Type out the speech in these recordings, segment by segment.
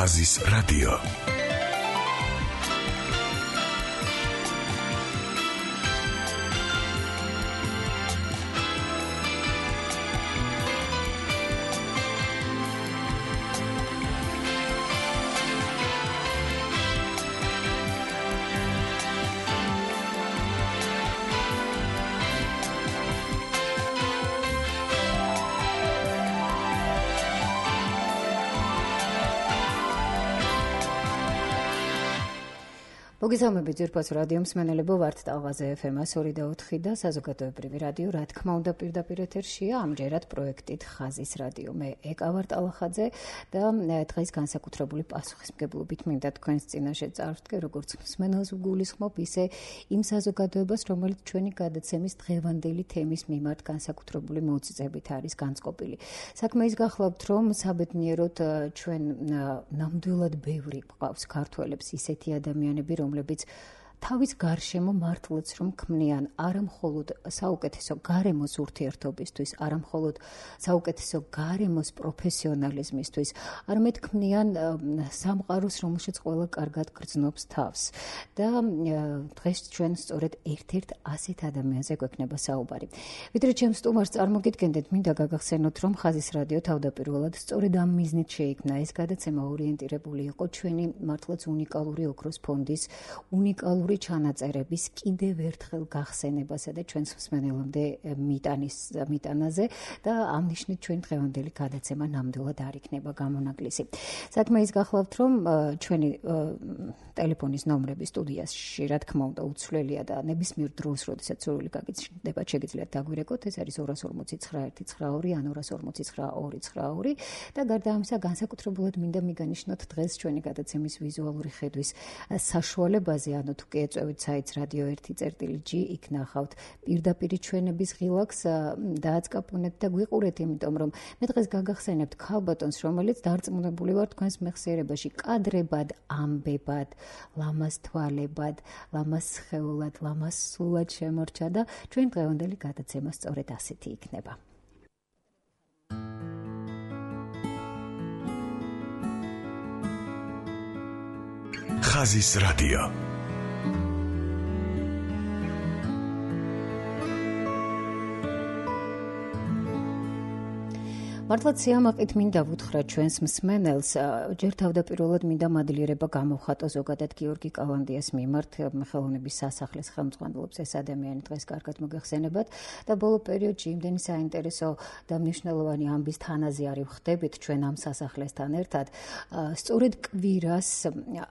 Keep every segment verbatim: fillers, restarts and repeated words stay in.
ხაზის რადიო. მოგესალმებით ძვირფას რადიო მსმენელებო, ვართ ტალღაზე ეფ ემ ორი და ოთხი და საზოგადოებრივი რადიო, რა თქმა უნდა, პირდაპირ ეთერშია, ამჯერად პროექტით ხაზის რადიო. მე ეკა ვარ ტალახაძე და დღეს განსაკუთრებული პასუხისმგებლობით მინდა თქვენს წინაშე წარვდგე, როგორც მსმენელს ვგულისხმობ, ისე იმ საზოგადოებას, რომელიც ჩვენი გადაცემის დღევანდელი თემის მიმართ განსაკუთრებული მოწიწებით არის განწყობილი. საქმე ის გახლავთ, რომ საბედნიეროდ ჩვენ ნამდვილად ბევრი გვყავს ქართველებს ისეთი ადამიანები, რომლებიც თავის გარშემო მართლაც რომ ქმნიან არა მხოლოდ საუკეთესო გარემოს ურთიერთობისთვის, არა მხოლოდ საუკეთესო გარემოს პროფესიონალიზმისთვის, არამედ ქმნიან სამყაროს, რომელშიც ყველა კარგად გრძნობს თავს. და დღეს ჩვენ სწორედ ერთ-ერთ ასეთ ადამიანზე გვექნება საუბარი. ვიდრე ჩემს სტუმარს წარმოგიდგენდეთ, მინდა გაგახსენოთ, რომ ხაზის რადიო თავდაპირველად სწორედ ამ მიზნით შეიქმნა. ეს გადაცემა ორიენტირებული იყო ჩვენი მართლაც უნიკალური ოქროს ფონდის უნიკალური ჩანაწერების კიდევ ერთხელ გახსენებასა და ჩვენს მსმენელამდე მიტანის მიტანაზე და ამ ნიშნით ჩვენ დღევანდელი გადაცემა ნამდვილად არ იქნება გამონაკლისი. საქმე ის გახლავთ, რომ ჩვენი ტელეფონის ნომრები სტუდიაში, რა თქმა უნდა, უცვლელია და ნებისმიერ დროს, როდესაც სურვილი გაგიჩნდება, შეგიძლიათ დაგვირეკოთ, ეს არის ორი ორმოცი ცხრა ერთი ცხრა ორი ან ორი ორმოცი ცხრა ორი ცხრა ორი და გარდა ამისა განსაკუთრებულად მინდა მიგანიშნოთ დღეს ჩვენი გადაცემის ვიზუალური ხედვის საშუალებაზე, ანუ თუ კი ეწევით საიტს რადიო ერთი წერტილი ჯი, იქ ნახავთ პირდაპირი ჩვენების ღილაკს, დააწყაპუნეთ და გვიყურეთ, იმიტომ რომ მე დღეს გაგახსენებთ ქალბატონს, რომელიც დარწმუნებული ვარ თქვენს მეხსიერებაში კადრებად, ამბებად, ლამაზ თვალებად, ლამაზ სხეულად, ლამაზ სულად შემორჩა და ჩვენ დღევანდელი გადაცემა სწორედ ასეთი იქნება. ხაზის რადიო. მართლაც სიამაყით მინდა ვუთხრა ჩვენს მსმენელს, ჯერ თავდაპირველად მინდა მადლიერება გამოვხატო ზოგადად გიორგი კალანდიას მიმართ, ხელოვნების სასახლის ხელმძღვანელობს ეს ადამიანი დღეს კარგად მოგეხსენებათ და ბოლო პერიოდში იმდენი საინტერესო და მნიშვნელოვანი ამბის თანაზე არის ვხდებით ჩვენ ამ სასახლესთან ერთად. სწორედ კვირას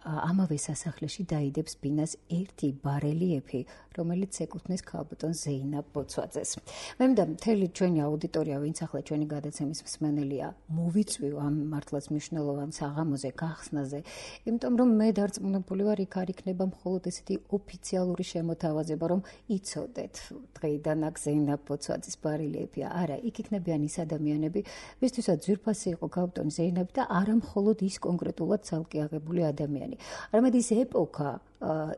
ამავე სასახლეში დაიდებს ბინას ერთი ბარელიეფი, რომელიც ეკუთვნის ქალბატონ ზეინაბ ბოცვაძეს. მე მინდა მთელი ჩვენი აუდიტორია, ვინც ახლა ჩვენი გადაცემის მსმენელია, მოვიწვიო ამ მართლაც მნიშვნელოვან საღამოზე, გახსნაზე, იმიტომ რომ მე დარწმუნებული ვარ, იქ არ იქნება მხოლოდ ესეთი ოფიციალური შემოთავაზება, რომ იცოდეთ დღეიდან აქ ზეინაბ ბოცვაძის ბარელიეფია. არა, იქ იქნებიან ის ადამიანები, ვისთვისაც ძვირფასი იყო ქალბატონი ზეინაბი და არა მხოლოდ ის კონკრეტულად ცალკე აღებული ადამიანი, არამედ ის ეპოქა,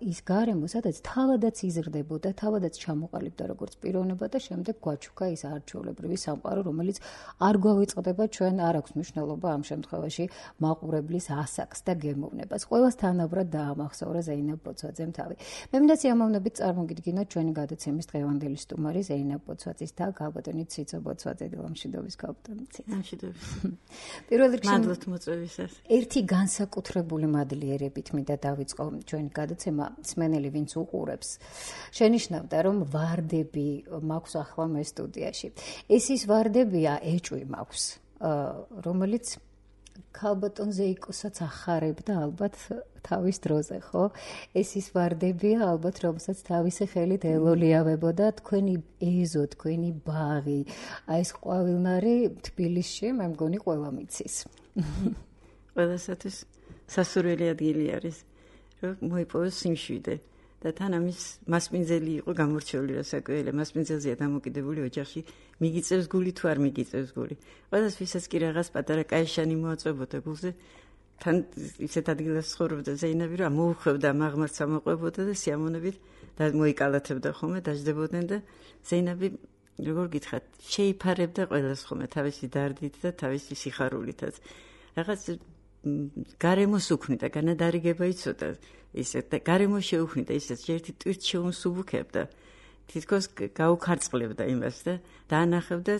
ის გარემო, სადაც თავადაც იზრდებოდა, თავადაც ჩამოყალიბდა როგორც პიროვნება და შემდეგ გვაჩუქა ის არჩეულებრივი სამყარო, რომელიც არ გვავიწყდება, ჩვენ არ აქვს მნიშვნელობა ამ შემთხვევაში მაყურებლის ასაკს და გემოვნებას. ყველას თანაბრად დაამახსოვრა ზეინაბ ბოცვაძემ თავი. მე მინდა სიამოვნებით წარმოგიდგინოთ ჩვენი გადაცემის დღევანდელი სტუმარი ზეინაბ ბოცვაძის და ქალბატონი ციცო ბოცვაძე. დილამშვიდობის ქალბატონი ციცო. მშვიდობის. პირველ რიგში მადლობთ მოწვევისას. ერთი განსაკუთრებული მადლიერებით მინდა დავიწყო ჩვენი გადაცემა მსმენელი ვინც უყურებს. შენიშნავდა რომ ვარდები მაქვს ახლა მე სტუდიაში. ეს ის ვარდებია, ეჭვი მაქვს, რომელიც ქალბატონ ზეიკოსაც ახარებდა ალბათ თავის დროზე, ხო? ეს ის ვარდებია ალბათ, რომელსაც თავისი ხელით ელოლიავებოდა თქვენი ეზო, თქვენი ბაღი. აი ეს ყვავილნარი თბილისში მე მგონი ყველა მიცის. ყველასათვის სასურველი ადგილი არის. რომ მოიპოვოს სიმშვიდე და თან ამის მასპინძელი იყო გამორჩეული რასაკვირველია, მასპინძელზეა დამოკიდებული ოჯახში, მიგიწევს გული თუ არ მიგიწევს გული. ყველას ვისაც კი რაღაც პატარა კაიშანი მოაწვებოდა გულზე, თან ისეთ ადგილას ცხოვრობდა ზეინაბი, რომ მოუხვევდა მაღმართს ამოყვებოდა და სიამოვნებით და მოიკალათებდა ხოლმე, დაждდებოდნენ და ზეინაბი როგორ გითხრათ, შეიფარებდა ყველას ხოლმე თავისი დარდით და თავისი სიხარულითაც. რაღაც გარემოს უქმნიდა, განადარიგება იცოდა, ისე და გარემო შეუქმნიდა, ისე ერთი ტვირთ შეუსუბუქებდა. თითქოს გაუქარწყლებდა იმას და დაანახებდა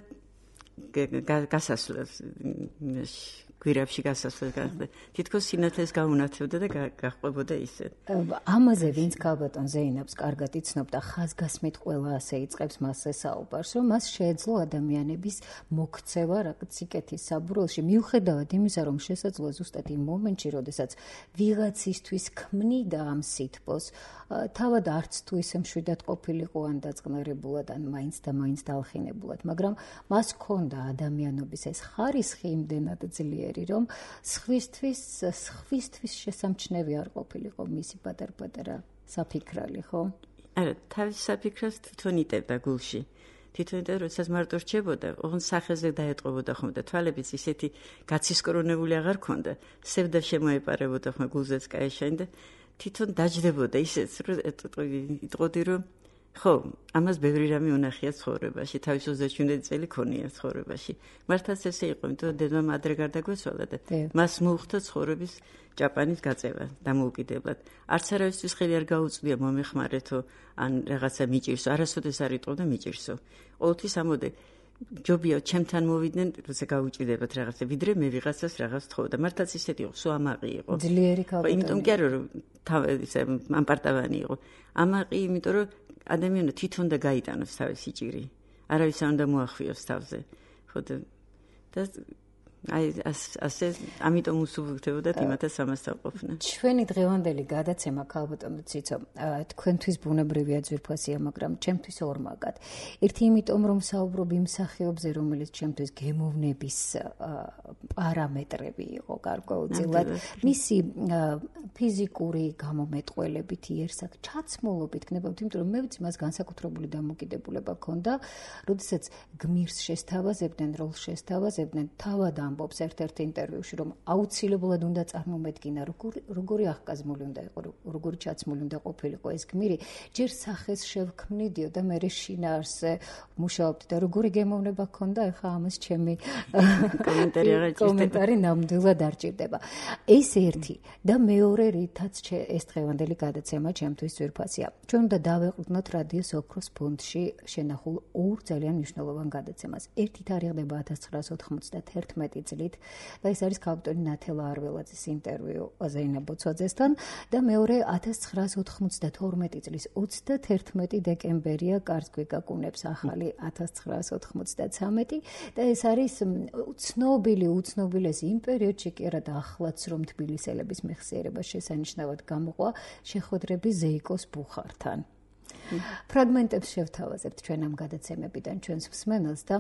გასასვლელს გვირაბში გასასვლელს გახდა. თითქოს სინათლეს გაუნათებდა და გაჰყვებოდა ისე. ამაზე ვინც ქალბატონ ზეინაბს კარგად იცნობდა, ხაზგასმით ყველა ასე იწყებს მასზე საუბარს, რომ მას შეეძლო ადამიანების მოქცევა რაღაც სიკეთის საბურველში, მიუხედავად იმისა, რომ შესაძლოა ზუსტად იმ მომენტში, როდესაც ვიღაცისთვის ქმნიდა ამ სითბოს, თავად არც თუ ისე მშვიდად ყოფილიყო ან დაწყნარებულად, ან მაინც და მაინც დაალხინებულად, მაგრამ მას ჰქონდა ადამიანობის ეს ხარისხი იმდენად ძლიერი, რომ სხვისთვის სხვისთვის შესამჩნევი არ ყოფილიყო მისი პატარ-პატარა საფიქრალი, ხო? არა, თავის საფიქრას თვითონ იტევდა გულში. თვითონ იტევდა, როდესაც მარტო რჩებოდა, ოღონდ სახეზე დაეტყობოდა ხომ და თვალებიც ისეთი გაცისკრონებული აღარ ქონდა, სევდა შემოეპარებოდა ხომ გულზეც კაეშანი და თვითონ დაჯდებოდა ისეც, რომ იტყოდი, რომ ხო, ამას ბევრი რამე უნახია ცხოვრებაში, თავის ოცდაშვიდი წელი ქონია ცხოვრებაში. მართლაც ესე იყო, იმიტომ რომ დედამ ადრე გარდაგვეცვალა და მას მოუხდა ცხოვრების ჭაპანის გაწევა დამოუკიდებლად. არც არავისთვის ხელი არ გაუწვია მომეხმარეთო, ან რაღაცა მიჭირსო, არასოდეს არ იტყობდა მიჭირსო. ყოველთვის ამოდე ჯობია ჩემთან მოვიდნენ, როცა გაუჭირდებათ რაღაცა, ვიდრე მე ვიღაცას რაღაც თხოვდა. მართლაც ისეთი იყო, სულ ამაყი იყო. ძლიერი ქალბატონი. იმიტომ კი არა, რომ ისე ამპარტავანი იყო. ამაყი, იმიტომ რომ ადამიანმა თვითონ და გაიტანოს თავისი ჭირი. არავის არ უნდა მოახვიოს თავზე. ხო და აი ასე ამიტომ უსუბუქდებოდათ იმათაც ამასთან ყოფნა. ჩვენი დღევანდელი გადაცემა ქალბატონო ციცო, თქვენთვის ბუნებრივია ძვირფასია, მაგრამ ჩემთვის ორმაგად. ერთი იმიტომ რომ საუბრობ იმ მსახიობზე, რომელიც ჩემთვის გემოვნების პარამეტრები იყო გარკვეულწილად, მისი ფიზიკური გამომეტყველებით, იერსახ ჩაცმულობით გნებავთ, იმიტომ რომ მე ვიცი მას განსაკუთრებული დამოკიდებულება ჰქონდა, როდესაც გმირს შესთავაზებდნენ, როლს შესთავაზებდნენ, თავად ამბობს ერთ-ერთ ინტერვიუში, რომ აუცილებლად უნდა წარმომედგინა, როგორი როგორი აღკაზმული უნდა იყო, როგორი ჩაცმული უნდა ყოფილიყო ეს გმირი, ჯერ სახეს შევქმნიდიო და მე შინაარსზე მუშაობდი და როგორი გემოვნება ჰქონდა, ეხლა ამას ჩემი კომენტარი აღარ ჭირდება. კომენტარი ნამდვილად არ ჭირდება. ეს ერთი და მეორე რითაც ეს დღევანდელი გადაცემა ჩემთვის ძვირფასია. ჩვენ უნდა დავეყრდნოთ რადიოს ოქროს ფონდში შენახულ ორ ძალიან მნიშვნელოვან გადაცემას. ერთი თარიღდება ათას ცხრაას ოთხმოცდათერთმეტი წლით და ეს არის ქალბატონი ნათელა არველაძის ინტერვიუ ზეინაბ ბოცვაძესთან და მეორე ათას ცხრაას ოთხმოცდათორმეტი წლის ოცდათერთმეტი დეკემბერია კარს გვიკაკუნებს ახალი ათას ცხრაას ოთხმოცდაცამეტი და ეს არის ცნობილი უცნობილესი იმ პერიოდში კი არა და ახლაც რომ თბილისელების მეხსიერება შესანიშნავად გამოყვა შეხვედრები ზეიკოს ბუხართან. ფრაგმენტებს შევთავაზებთ ჩვენ ამ გადაცემებიდან ჩვენს მსმენელს და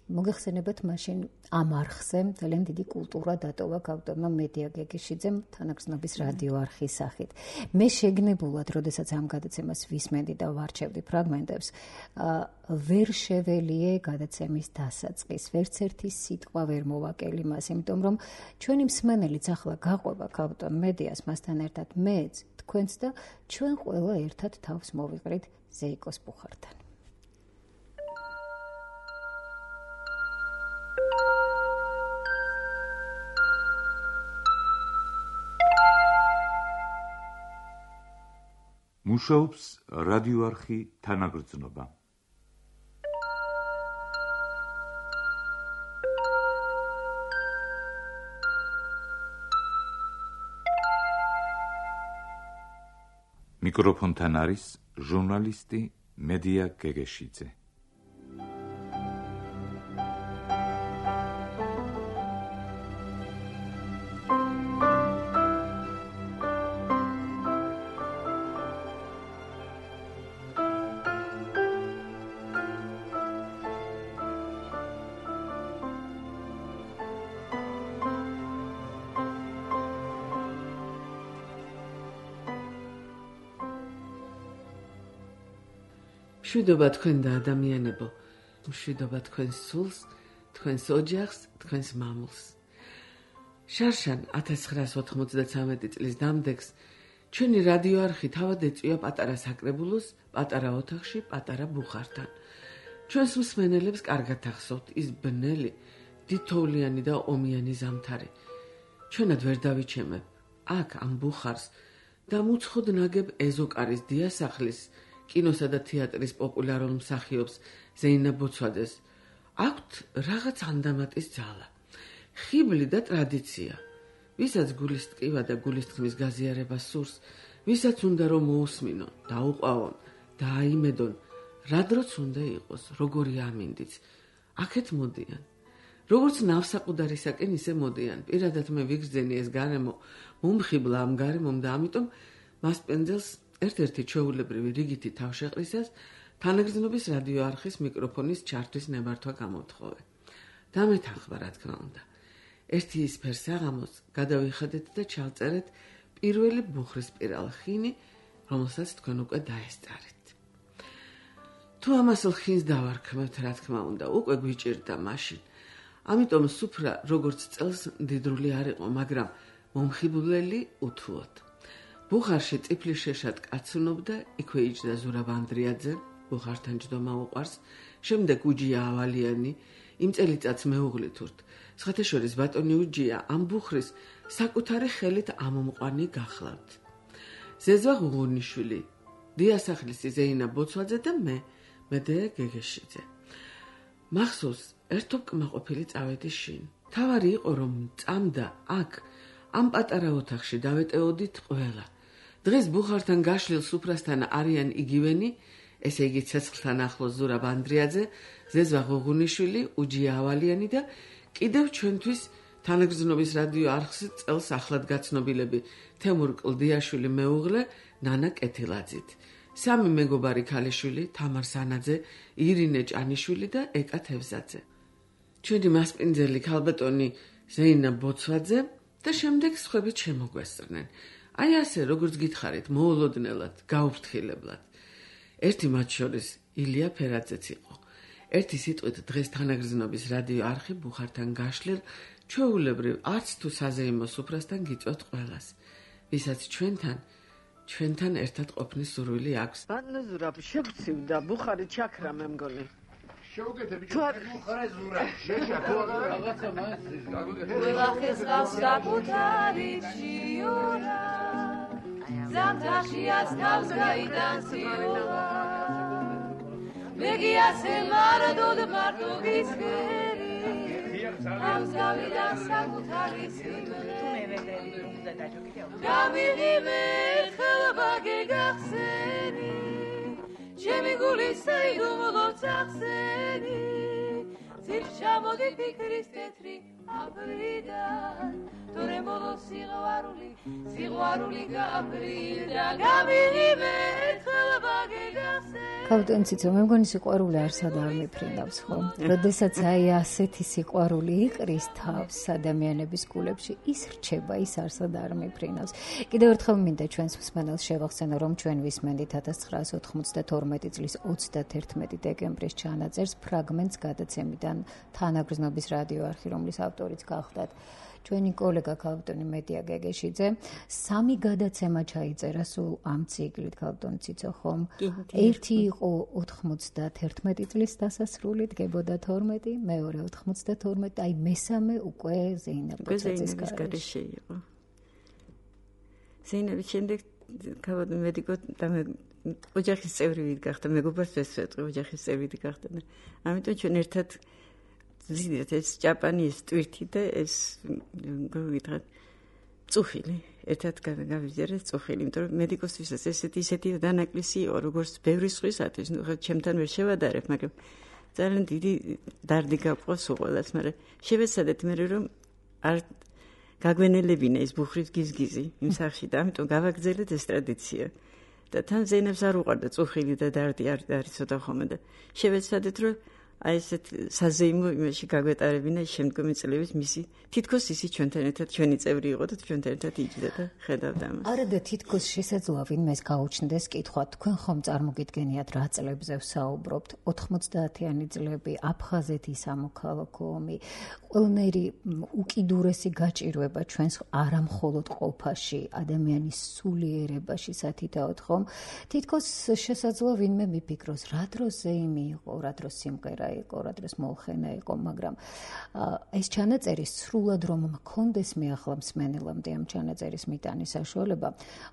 მოგეხსენებათ მაშინ ამ არხზე ძალიან დიდი კულტურა დატოვა ქალბატონმა მედია გეგეშიძემ თანაგრძნობის რადიო არხის სახით. მე შეგნებულად, როდესაც ამ გადაცემას ვისმენდი და ვარჩევდი ფრაგმენტებს, ვერ შეველიე გადაცემის დასაწყის, ვერც ერთი სიტყვა ვერ მოვაკელი მას, იმიტომ რომ ჩვენი მსმენელიც ახლა გაყვება ქალბატონ მედიას, მასთან ერთად მეც, თქვენც და ჩვენ ყველა ერთად თავს მოვიყრით ზეიკოს ბუხართან. მუშაობს რადიო არხი თანაგრძნობა. მიკროფონთან არის ჟურნალისტი მედია გეგეშიძე. მშვიდობა თქვენ და ადამიანებო, მშვიდობა თქვენს სულს, თქვენს ოჯახს, თქვენს მამულს. შარშან ათას ცხრაას ოთხმოცდათვრამეტი წლის დამდეგს ჩვენი რადიო არხი თავად ეწვია პატარა საკრებულოს, პატარა ოთახში, პატარა ბუხართან. ჩვენს მსმენელებს კარგად ახსოვთ ის ბნელი, დიდთოვლიანი და ომიანი ზამთარი. ჩვენად ვერ დავიჩემებ აქ ამ ბუხარს და მუცხოდ ნაგებ ეზოკარის დიასახლის კინოსა და თეატრის პოპულარულ მსახიობს ზეინა ბოცვაძეს აქვთ რაღაც ანდამატის ძალა, ხიბლი და ტრადიცია. ვისაც გულის ტკივა და გულის თქმის გაზიარება სურს, ვისაც უნდა რომ მოусმინონ, დაუყვავონ, დააიმედონ, რა დროც უნდა იყოს, როგორი ამინდიც. აქეთ მოდიან. როგორც ნავსაყუდარისაკენ ისე მოდიან. პირადად მე ვიგრძენი ეს გარემო, მომხიბლა ამ გარემომ და ამიტომ მას პენძელს ერთ-ერთი ჩვეულებრივი რიგითი თავშეყრისას თანაგრძნობის რადიო არხის მიკროფონის ჩართვის ნებართვა გამოთხოვე. დამეთანხმა რა თქმა უნდა. ერთი ისფერ საღამოს გადავიხადეთ და ჩავწერეთ პირველი ბუხრისპირალ ხინი, რომელსაც თქვენ უკვე დაესწარეთ. თუ ამასელ ხინს დავარქმევთ, რა თქმა უნდა, უკვე გვიჭირდა მაშინ. ამიტომ სუფრა როგორც წელს მდიდრული არ იყო, მაგრამ მომხიბვლელი უთუოდ. ბუხარში წიფლის შეშად კაცუნობდა, იქვე იჯდა ზურაბ ანდრიაძე, ბუხართან ჯდომა უყვარს, შემდეგ უჯია ავალიანი, იმ წელიწადს მეუღლით ვურთ. სხვათაშორის ბატონი უჯია ამ ბუხრის საკუთარი ხელით ამომყვანი გახლავთ. ზეზვა ღუღუნიშვილი, დიასახლისი ზეინა ბოცვაძე და მე, მედეა გეგეშიძე. მახსოვს, ერთობ კმაყოფილი წავედი შინ. თავარი იყო რომ წამდა აქ, ამ პატარა ოთახში დავეტეოდით ყველა. დღეს ბუხართან გაშლილ სუფრასთან არიან იგივენი, ესე იგი ცეცხლთან ახლოს ზურაბ ანდრიაძე, ზეზვა ღუღუნიშვილი, უჯია ავალიანი და კიდევ ჩვენთვის თანაგრძნობის რადიო არხის წელს ახლად გაცნობილები თემურ კლდიაშვილი მეუღლე, ნანა კეთილაძით. სამი მეგობარი ქალიშვილი, თამარ სანაძე, ირინე ჭანიშვილი და ეკა თევზაძე. ჩვენი მასპინძელი ქალბატონი ზეინა ბოცვაძე და შემდეგ სხვები შემოგვესწრნენ. აი ასე, როგორც გითხარით, მოულოდნელად, გაუფრთხილებლად. ერთი მათ შორის ილია ფერაძეც იყო. ერთი სიტყვით დღეს თანაგრძნობის რადიო არხი ბუხართან გაშლილ ჩვეულებრივ არც თუ საზეიმო სუფრასთან გიწვევთ ყველას, ვისაც ჩვენთან ჩვენთან ერთად ყოფნის სურვილი აქვს. ბანზურაბ შევცივდა ბუხარი ჩაქრა მე მგონი. შევგეთე ბიჭო, ბუხარე ზურა. შეშა თუ რაღაცა მასის. ყველახეს გავს საკუთარი ჭიორა. ზამთარშიაც თავს გაიდანსიორა. მეგიასე მარტოდ მარტო გისხერი. თავს გავიდან საკუთარი სიმღერა. გამიღიმე ხელბა გეგახსენი. ჩემი გული საიდუმლოც ახსენი. ძირ ჩამოდი ფიქრის თეთრი აბრიდან. თორე ბოლოს სიყვარული სიყვარული გაბრიდა. გამიღიმე ხელბა გეგახსენი. კავტენ ციცო, მე მგონი სიყვარული არსად არ მიფრინავს, ხო? როდესაც აი ასეთი სიყვარული იყრის თავს ადამიანების გულებში, ის რჩება, ის არსად არ მიფრინავს. კიდევ ერთხელ მინდა ჩვენს მსმენელს შევახსენო, რომ ჩვენ ვისმენთ ათას ცხრაას ოთხმოცდათორმეტი წლის ოცდაათერთმეტი დეკემბრის ჩანაწერს ფრაგმენტს გადაცემიდან თანაგრძნობის რადიო არხი, რომლის ავტორიც გახლდათ ჩვენი კოლეგა ქალბატონი მედია გეგეშიძე. სამი გადაცემა ჩაიწერა სულ ამ ციკლით, ქალბატონი ციცო, ხომ? ერთი იყო ოთხმოცდათერთმეტი წლის დასასრულით, გებოდა თორმეტი, მეორე ოთხმოცდათორმეტი, აი მესამე უკვე ზეინა ბოცვაძის გარეშე იყო. ზეინები შემდეგ ქალბატონი მედიკო და მე ოჯახის წევრი ვიგახდა, მეგობარს ეს ვეტყვი, ოჯახის წევრი გახდა. ამიტომ ჩვენ ერთად ზიდეთ ეს ჭაპანი, ეს ტვირთი და ეს გოგითხრათ წუხილი ერთად გავიზიარეთ წუხილი, იმიტომ რომ მედიკოსთვისაც ესეთი ისეთი დანაკლისი იყო, როგორც ბევრი სხვისათვის, ნუ ხა ჩემთან ვერ შევადარებ, მაგრამ ძალიან დიდი დარდი გაყავს უყოლას, მაგრამ შევეცადეთ მე რომ არ გაგვენელებინა ეს ბუხრის გიზგიზი იმ სახში და ამიტომ გავაგრძელეთ ეს ტრადიცია. და თან ზეინებს არ უყარდა წუხილი და დარდი არ არის ცოტა ხოლმე და შევეცადეთ რომ აი ესეთ საზეიმო იმაში გაგვეტარებინა შემდგომი წლების მისი თითქოს ისი ჩვენთან ერთად ჩვენი წევრი იყო და ჩვენთან ერთად იჯდა და ხედავდა ამას. არა და თითქოს შესაძლოა ვინმეს გაუჩნდეს კითხვა, თქვენ ხომ წარმოგიდგენიათ რა წლებზე ვსაუბრობთ? ოთხმოცდაათიანი წლები, აფხაზეთის სამოქალაქო ომი, ყველნაირი უკიდურესი გაჭირვება ჩვენს არამხოლოდ ყოფაში, ადამიანის სულიერებაში სათითაოდ ხომ? თითქოს შესაძლოა ვინმე მიფიქროს, რა დროს ზეიმი იყო, რა დროს სიმღერა პატარა იყო, რა დროს მოლხენა იყო, მაგრამ ეს ჩანაწერი სრულად რომ მქონდეს მე ახლა მსმენელამდე ამ ჩანაწერის მიტანის საშუალება,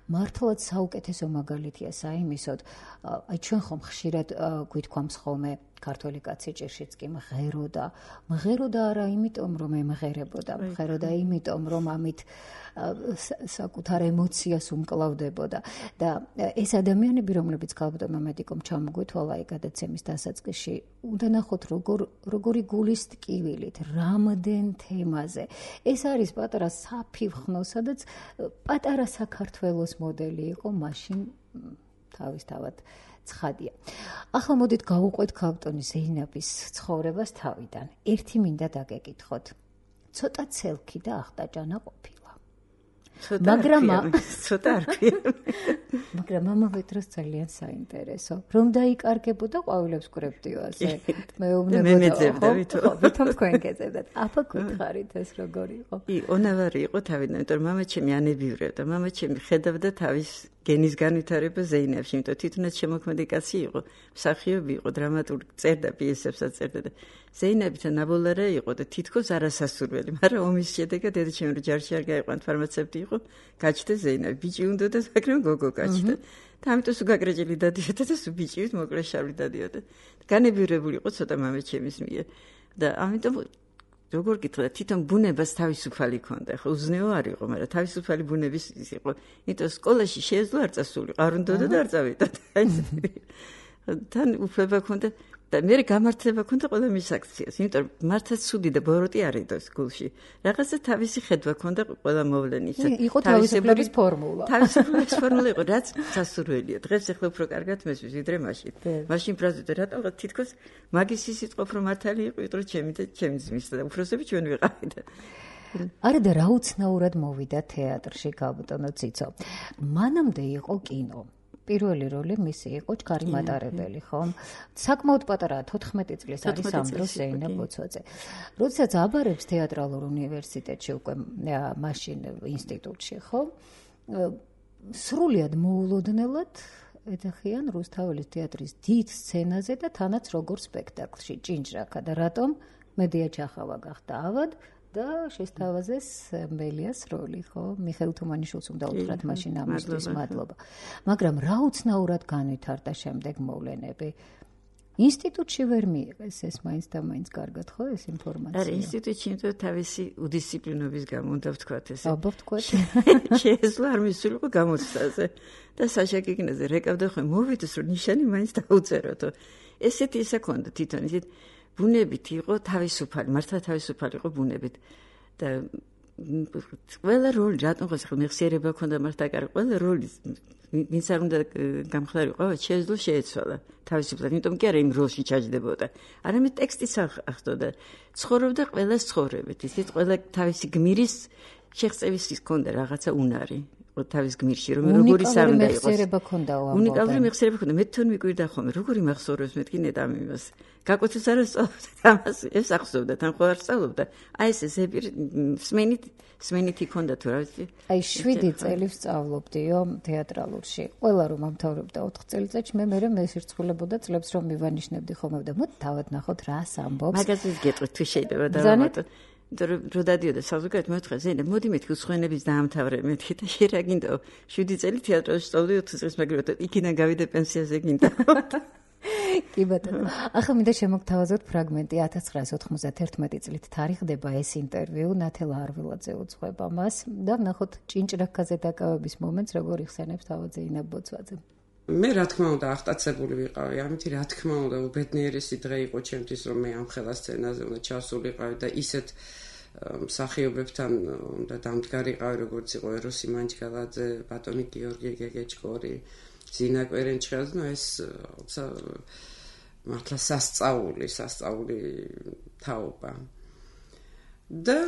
მართლაც საუკეთესო მაგალითია საიმისოდ, აი ჩვენ ხომ ხშირად გვითქვამს ხოლმე ქართველი კაცი ჭირშიც კი მღეროდა, მღეროდა არა იმიტომ რომ ემღერებოდა, მღეროდა იმიტომ რომ ამით საკუთარ ემოციას უმკლავდებოდა და ეს ადამიანები, რომლებიც ქალბატონმა მედიკომ ჩამოგვეთვალა აი გადაცემის დასაწყისში, უნდა ნახოთ როგორ როგორი გულის ტკივილით, რამდენ თემაზე. ეს არის პატარა საფივხნო, სადაც პატარა საქართველოს მოდელი იყო მაშინ თავისთავად ცხადია. ახლა მოდით გავუყვეთ ქალბატონი ზეინაბის ცხოვრებას თავიდან. ერთი მინდა დაგეკითხოთ. ცოტა ცელქი და ახტაჭანა ყოფილა. მაგრამ ცოტა არ ქვია. მაგრამ ამავე დროს ძალიან საინტერესო. რომ დაიკარგებოდა ყვავილებს კრებდიო ასე. მეუბნებოდა, ხო, ვითომ თქვენ გეძებდათ. აფა გითხარით ეს როგორი იყო? ონავარი იყო თავიდან, იმიტომ რომ მამა ჩემი ანებიურებდა. მამა ჩემი ხედავდა თავის გენის განვითარება ზეინაბში, იმიტომ თვითონაც შემოქმედი კაცი იყო, მსახიობი იყო, დრამატურგი, წერდა პიესებსაც წერდა და ზეინაბთან ნაბოლარა იყო და თითქოს არასასურველი, მაგრამ ომის შედეგად დედაჩემი რო ჯარში არ გაიყვანთ, ფარმაცევტი იყო, გაჩნდა ზეინაბი, ბიჭი უნდა და მაგრამ გოგო გაჩნდა. და ამიტომ სულ გაგრეჯელი დადიოდა და სულ ბიჭივით მოკლე შავი დადიოდა. განებიურებული იყო ცოტა მამა ჩემის მიერ და ამიტომ როგორ გითხრა, თვითონ ბუნებას თავისუფალი ქონდა, ხო, უზნეო არ იყო, მაგრამ თავისუფალი ბუნების ის იყო. იმიტომ სკოლაში შეეძლო არ წასულიყო, არ უნდოდა და არ წავიდა. თან უფლება ქონდა და მე გამართლება ქონდა ყველა მის აქციას, იმიტომ რომ მართლაც ცუდი და ბოროტი არ იდოს გულში. რაღაცა თავისი ხედვა ქონდა ყველა მოვლენისა. იყო თავისუფლების ფორმულა. თავისუფლების ფორმულა იყო, რაც სასურველია. დღეს ახლა უფრო კარგად მესმის, ვიდრე მაშინ. მაშინ ბრაზილდა რატომ თითქოს მაგის ისიც ყოფ რომ მართალი იყო, იმიტომ რომ ჩემი და ჩემი ძმის და უფროსები ჩვენ ვიყავით. არა და რა უცნაურად მოვიდა თეატრში ქალბატონო ციცო. მანამდე იყო კინო. პირველი როლი მისი იყო ჩქარი მატარებელი, ხო? საკმაოდ პატარაა, თოთხმეტი წლის არის ამ დროს ზეინაბ ბოცვაძე. როდესაც აბარებს თეატრალურ უნივერსიტეტში უკვე მაშინ ინსტიტუტში, ხო? სრულიად მოულოდნელად ეძახიან რუსთაველის თეატრის დიდ სცენაზე და თანაც როგორ სპექტაკლში, ჭინჭრაკა და რატომ მედია ჩახავა გახდა ავად და შესთავაზეს მელიას როლი, ხო? მიხეილ თუმანიშვილს უნდა უთხრათ მაშინ ამისთვის მადლობა. მაგრამ რა უცნაურად განვითარდა შემდეგ მოვლენები. ინსტიტუტში ვერ მიიღეს ეს მაინც და მაინც კარგად, ხო, ეს ინფორმაცია? არა, ინსტიტუტში იმიტომ თავისი უდისციპლინობის გამო უნდა ვთქვათ ესე. აბა ვთქვათ. შეეძლო არ მისულიყო გამოცდაზე და საშა გიგნაძე რეკავდა ხო მოვიდეს რომ ნიშანი მაინც დაუწეროთო. ესეთი ისე ქონდა თვითონ ისეთ ბუნებით იყო თავისუფალი, მართლა თავისუფალი იყო ბუნებით და ყველა როლი რატომ ხო ახლა მეხსიერება ქონდა მართლა კარგი ყველა როლი ვინც არ უნდა გამხდარიყო, შეეძლო შეეცვალა თავისუფლად, იმიტომ კი არა იმ როლში ჩაჯდებოდა. არამედ ტექსტიც ახდოდა. ცხოვრობდა ყველა ცხოვრებით, ისეთ ყველა თავისი გმირის შეღწევის ჰქონდა რაღაცა უნარი. თავის გმირში რომ როგორი სამდე იყოს. მეხსიერება ქონდა ამ. უნიკალური მეხსიერება ქონდა. მე თვითონ მიკვირდა ხოლმე, როგორი მახსოვრებს მეთქი ნეტამ იმას. გაკვეთილს არ სწავლობდა ამას, ეს ახსოვდა, თან ხო არ სწავლობდა. აი ეს ზეპირ სმენით, სმენითი ქონდა თუ რა ვიცი. აი შვიდი წელი ვსწავლობდიო თეატრალურში. ყველა რომ ამთავრებდა ოთხ წელიწადში, მე მერე მესირცხულებოდა წლებს რომ მივანიშნებდი ხოლმე და მოდი თავად ნახოთ რას ამბობს. მაგაზინს გეტყვით თუ შეიძლება დავამატოთ. რო დადიოდა საზოგადოებრივ მეთქე ზეინებ მოდი მეთქი უცხოენების დაამთავრე მეთქი და შე რა გინდაო შვიდი წელი თეატრში სწავლდი ოთხ წელს მაგრამ იქიდან გავიდე პენსიაზე გინდა კი ბატონო ახლა მინდა შემოგთავაზოთ ფრაგმენტი ათას ცხრაას ოთხმოცდათერთმეტი წლით თარიღდება ეს ინტერვიუ ნათელა არველაძე უძღვება მას და ნახოთ ჭინჭრაკაზე დაკავების მომენტს როგორ იხსენებს თავად ზეინაბ ბოცვაძე მე რა თქმა უნდა აღტაცებული ვიყავი ამით რა თქმა უნდა უბედნიერესი დღე იყო ჩემთვის რომ მე ამ ხელა სცენაზე უნდა ჩავსულიყავი და ისეთ მსახიობებთან უნდა დამდგარიყავი როგორც იყო ეროსი მანჯგალაძე ბატონი გიორგი გეგეჭკორი ზინა კვერენჩხელს ნუ ეს მართლა სასწაული სასწაული თაობა და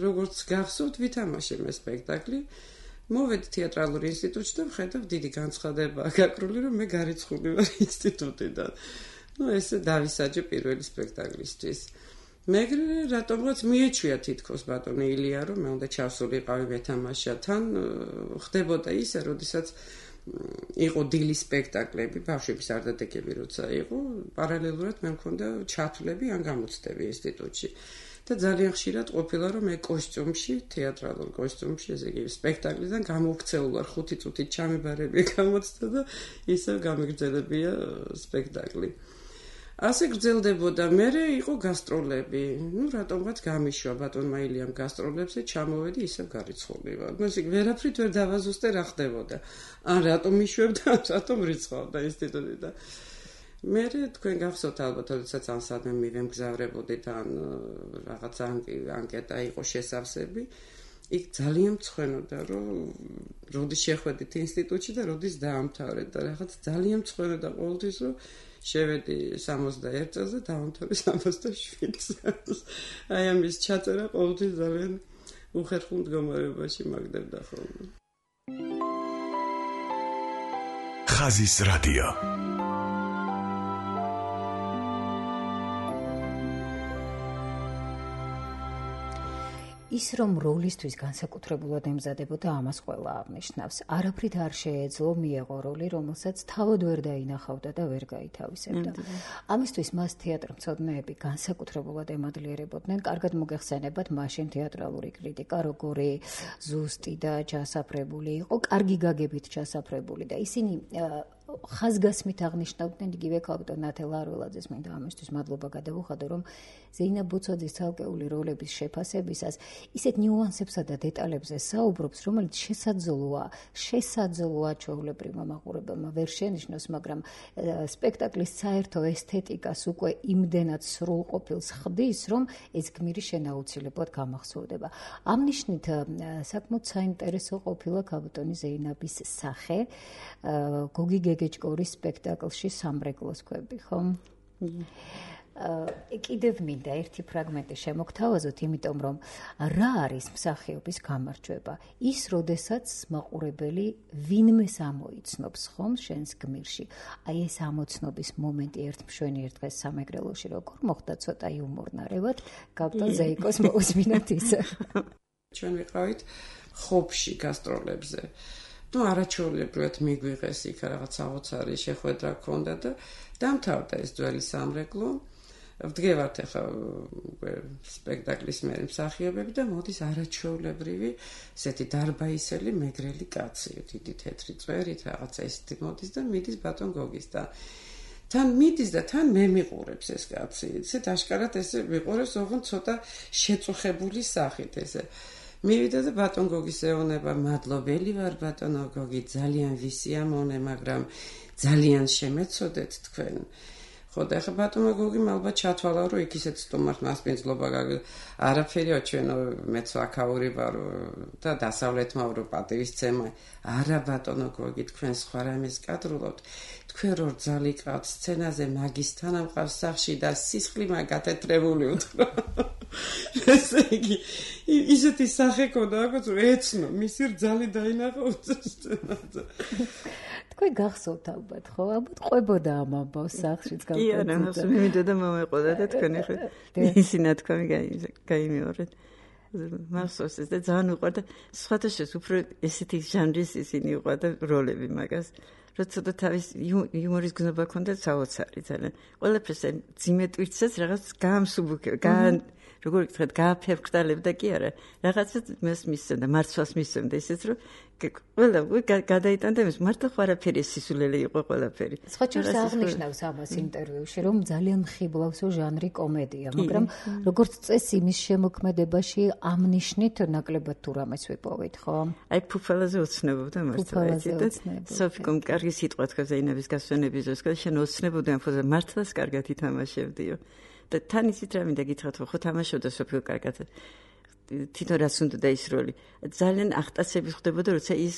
როგორც გახსოვთ ვითამაშე მე სპექტაკლი მოვედი თეატრალურ ინსტიტუტში და ვხედავ დიდი განცხადებაა გაკრული რომ მე გარიცხული ვარ ინსტიტუტიდან. ნუ ესე დავისაჯე პირველი სპექტაკლისთვის. მეგრე რატომღაც მიეჩვია თითქოს ბატონი ილია რომ მე უნდა ჩავსულიყავი მეთამაშა თან ხდებოდა ისე, როდესაც იყო დილის სპექტაკლები, ბავშვების არდადეგები როცა იყო, პარალელურად მე მქონდა ჩათვლები ან გამოცდები ინსტიტუტში. და ძალიან ხშირად ყოფილა რომ მე კოსტიუმში, თეატრალურ კოსტიუმში, ესე იგი სპექტაკლიდან გამოვქცეულ ვარ ხუთი წუთით ჩამებარები გამოცდა და ისევ გამიგრძელებია სპექტაკლი. ასე გრძელდებოდა, მერე იყო გასტროლები. ნუ რატომღაც გამიშვა ბატონმა ილიამ გასტროლებზე, ჩამოვედი ისევ გარიცხულიყო. ნუ ისე ვერაფრით ვერ დავაზუსტე რა ხდებოდა. ან რატომ მიშვებდა, რატომ რიცხავდა ინსტიტუტი და მერე თქვენ გახსოვთ ალბათ, როდესაც ამ სადმე მივემგზავრებოდით ან რაღაც ანკეტა იყო შესავსები, იქ ძალიან მწვენოდა, რომ როდის შეხვედით ინსტიტუტში და როდის დაამთავრეთ და რაღაც ძალიან მწვენოდა ყოველთვის, რომ შევედი სამოცდაერთ წელს და დავამთავრე სამოცდაშვიდ წელს. აი ამის ჩაწერა ყოველთვის ძალიან უხერხულ მდგომარეობაში მაგდებდა ხოლმე. ხაზის რადიო. ის რომ როლისთვის განსაკუთრებულად ემზადებოდა, ამას ყველა აღნიშნავს. არაფრით არ შეეძლო მიეღო როლი, რომელსაც თავად ვერ დაინახავდა და ვერ გაითავისებდა. ამისთვის მას თეატრმცოდნეები განსაკუთრებულად ემადლიერებოდნენ. კარგად მოგეხსენებათ მაშინ თეატრალური კრიტიკა, როგორი ზუსტი და ჩასაფრებული იყო, კარგი გაგებით ჩასაფრებული და ისინი ხაზგასმით აღნიშნავდნენ იგივე კაპიტან ნათელ არველაძეს, მინდა ამისთვის მადლობა გადავუხადო, რომ ზეინა ბუცოძის ცალკეული როლების შეფასებისას ისეთ ნიუანსებსა და დეტალებზე საუბრობს, რომელიც შესაძლოა, შესაძლოა ჩვეულებრივმა მაყურებელმა ვერ შენიშნოს, მაგრამ სპექტაკლის საერთო ესთეტიკას უკვე იმდენად სრულყოფილს ხდის, რომ ეს გმირი შენაუცილებლად გამახსოვდება. ამ ნიშნით საკმაოდ საინტერესო ყოფილა კაპიტანი ზეინაბის სახე გოგი გეგეჭკორის სპექტაკლში სამრეკლოს ქვები, ხო? კიდევ მინდა ერთი ფრაგმენტი შემოგთავაზოთ, იმიტომ რომ რა არის მსახიობის გამარჯვება? ის, როდესაც მაყურებელი ვინმეს ამოიცნობს ხომ შენს გმირში. აი ეს ამოცნობის მომენტი ერთ მშვენი ერთ დღეს სამეგრელოში როგორ მოხდა, ცოტა იუმორნარევად, კაპიტან ზეიკოს მოусმინოთ ისე. ჩვენ ვიყავით ხობში გასტროლებზე. ნუ არაჩვეულებრივად მიგვიღეს იქ რაღაც საოცარი შეხვედრა ჰქონდა და დამთავრდა ეს ძველი სამრეკლო. ვდგევართ ახლა სპექტაკლის მე მსახიობები და მოდის არაჩვეულებრივი ესეთი დარბაისელი მეგრელი კაცი, დიდი თეთრი წვერით რაღაცა ესეთი მოდის და მიდის ბატონ გოგის და თან მიდის და თან მე მიყურებს ეს კაცი. ესეთ აშკარად ესე მიყურებს, ოღონდ ცოტა შეწუხებული სახით ესე. მივიდა და ბატონ გოგის ეუბნება, მადლობელი ვარ ბატონო გოგი, ძალიან ვისიამოვნე, მაგრამ ძალიან შემეცოდეთ თქვენ. ხო და ახლა ბატონო გოგი ალბათ ჩათვალა, რომ იქ ისეთ სტუმართ მასპინძლობა არაფერია, ჩვენო მეც აქაური ვარ და დასავლეთმა ვრო პატივისცემა. არა ბატონო გოგი, თქვენ სხვა რამეს კადრულობთ. თქვენ რო ძალიკავთ სცენაზე მაგისთან ამყავს სახში და სისხლი მაგათეთრებული უთხრა. ესე იგი ისეთი სახე ქონდა, როგორც ეცნო, მისი რძალი დაინახა უწესწენად. თქვენ გახსოვთ ალბათ, ხო? ალბათ ყვებოდა ამ ამბავს სახლშიც კი, არა, ახლა მივიდა მომეყოდა და თქვენ ახლა ისი ნათქვამი გაიმეორეთ. მახსოვს ეს და ძალიან უყვარდა, სხვათა შორის უფრო ესეთი ჟანრის ისინი უყვარდა როლები მაგას. როცა და თავის იუმორის გზნობა ქონდა საოცარი ძალიან. ყველაფერს ძიმე ტვირთსაც რაღაც გაამსუბუქე, გან როგორ გითხრათ, გააფერფკტალებდა კი არა. რაღაცას მას მისცემდა, მარცვალს მისცემდა ისიც რომ ყველა გადაიტანდა იმის, მართლა ყველაფერი სისულელე იყო ყველაფერი. სხვა შორის აღნიშნავს ამას ინტერვიუში, რომ ძალიან მხიბლავსო ჟანრი კომედია, მაგრამ როგორც წესი იმის შემოქმედებაში ამ ნიშნით ნაკლებად თუ რამეს ვიპოვეთ, ხო? აი ფუფალაზე ოცნებობდა მართლა და სოფიკომ კარგი სიტყვა თქვა ზეინების გასვენების დროს, და შენ ოცნებოდი ამ ფუძე მართლაც კარგად ითამაშებდიო. და თან ისიც რა მინდა გითხრათ, ხო თამაშობდა სოფიკო კარგად. თვითონ რაც უნდა ის როლი. ძალიან ახტაცები ხდებოდა, როცა ის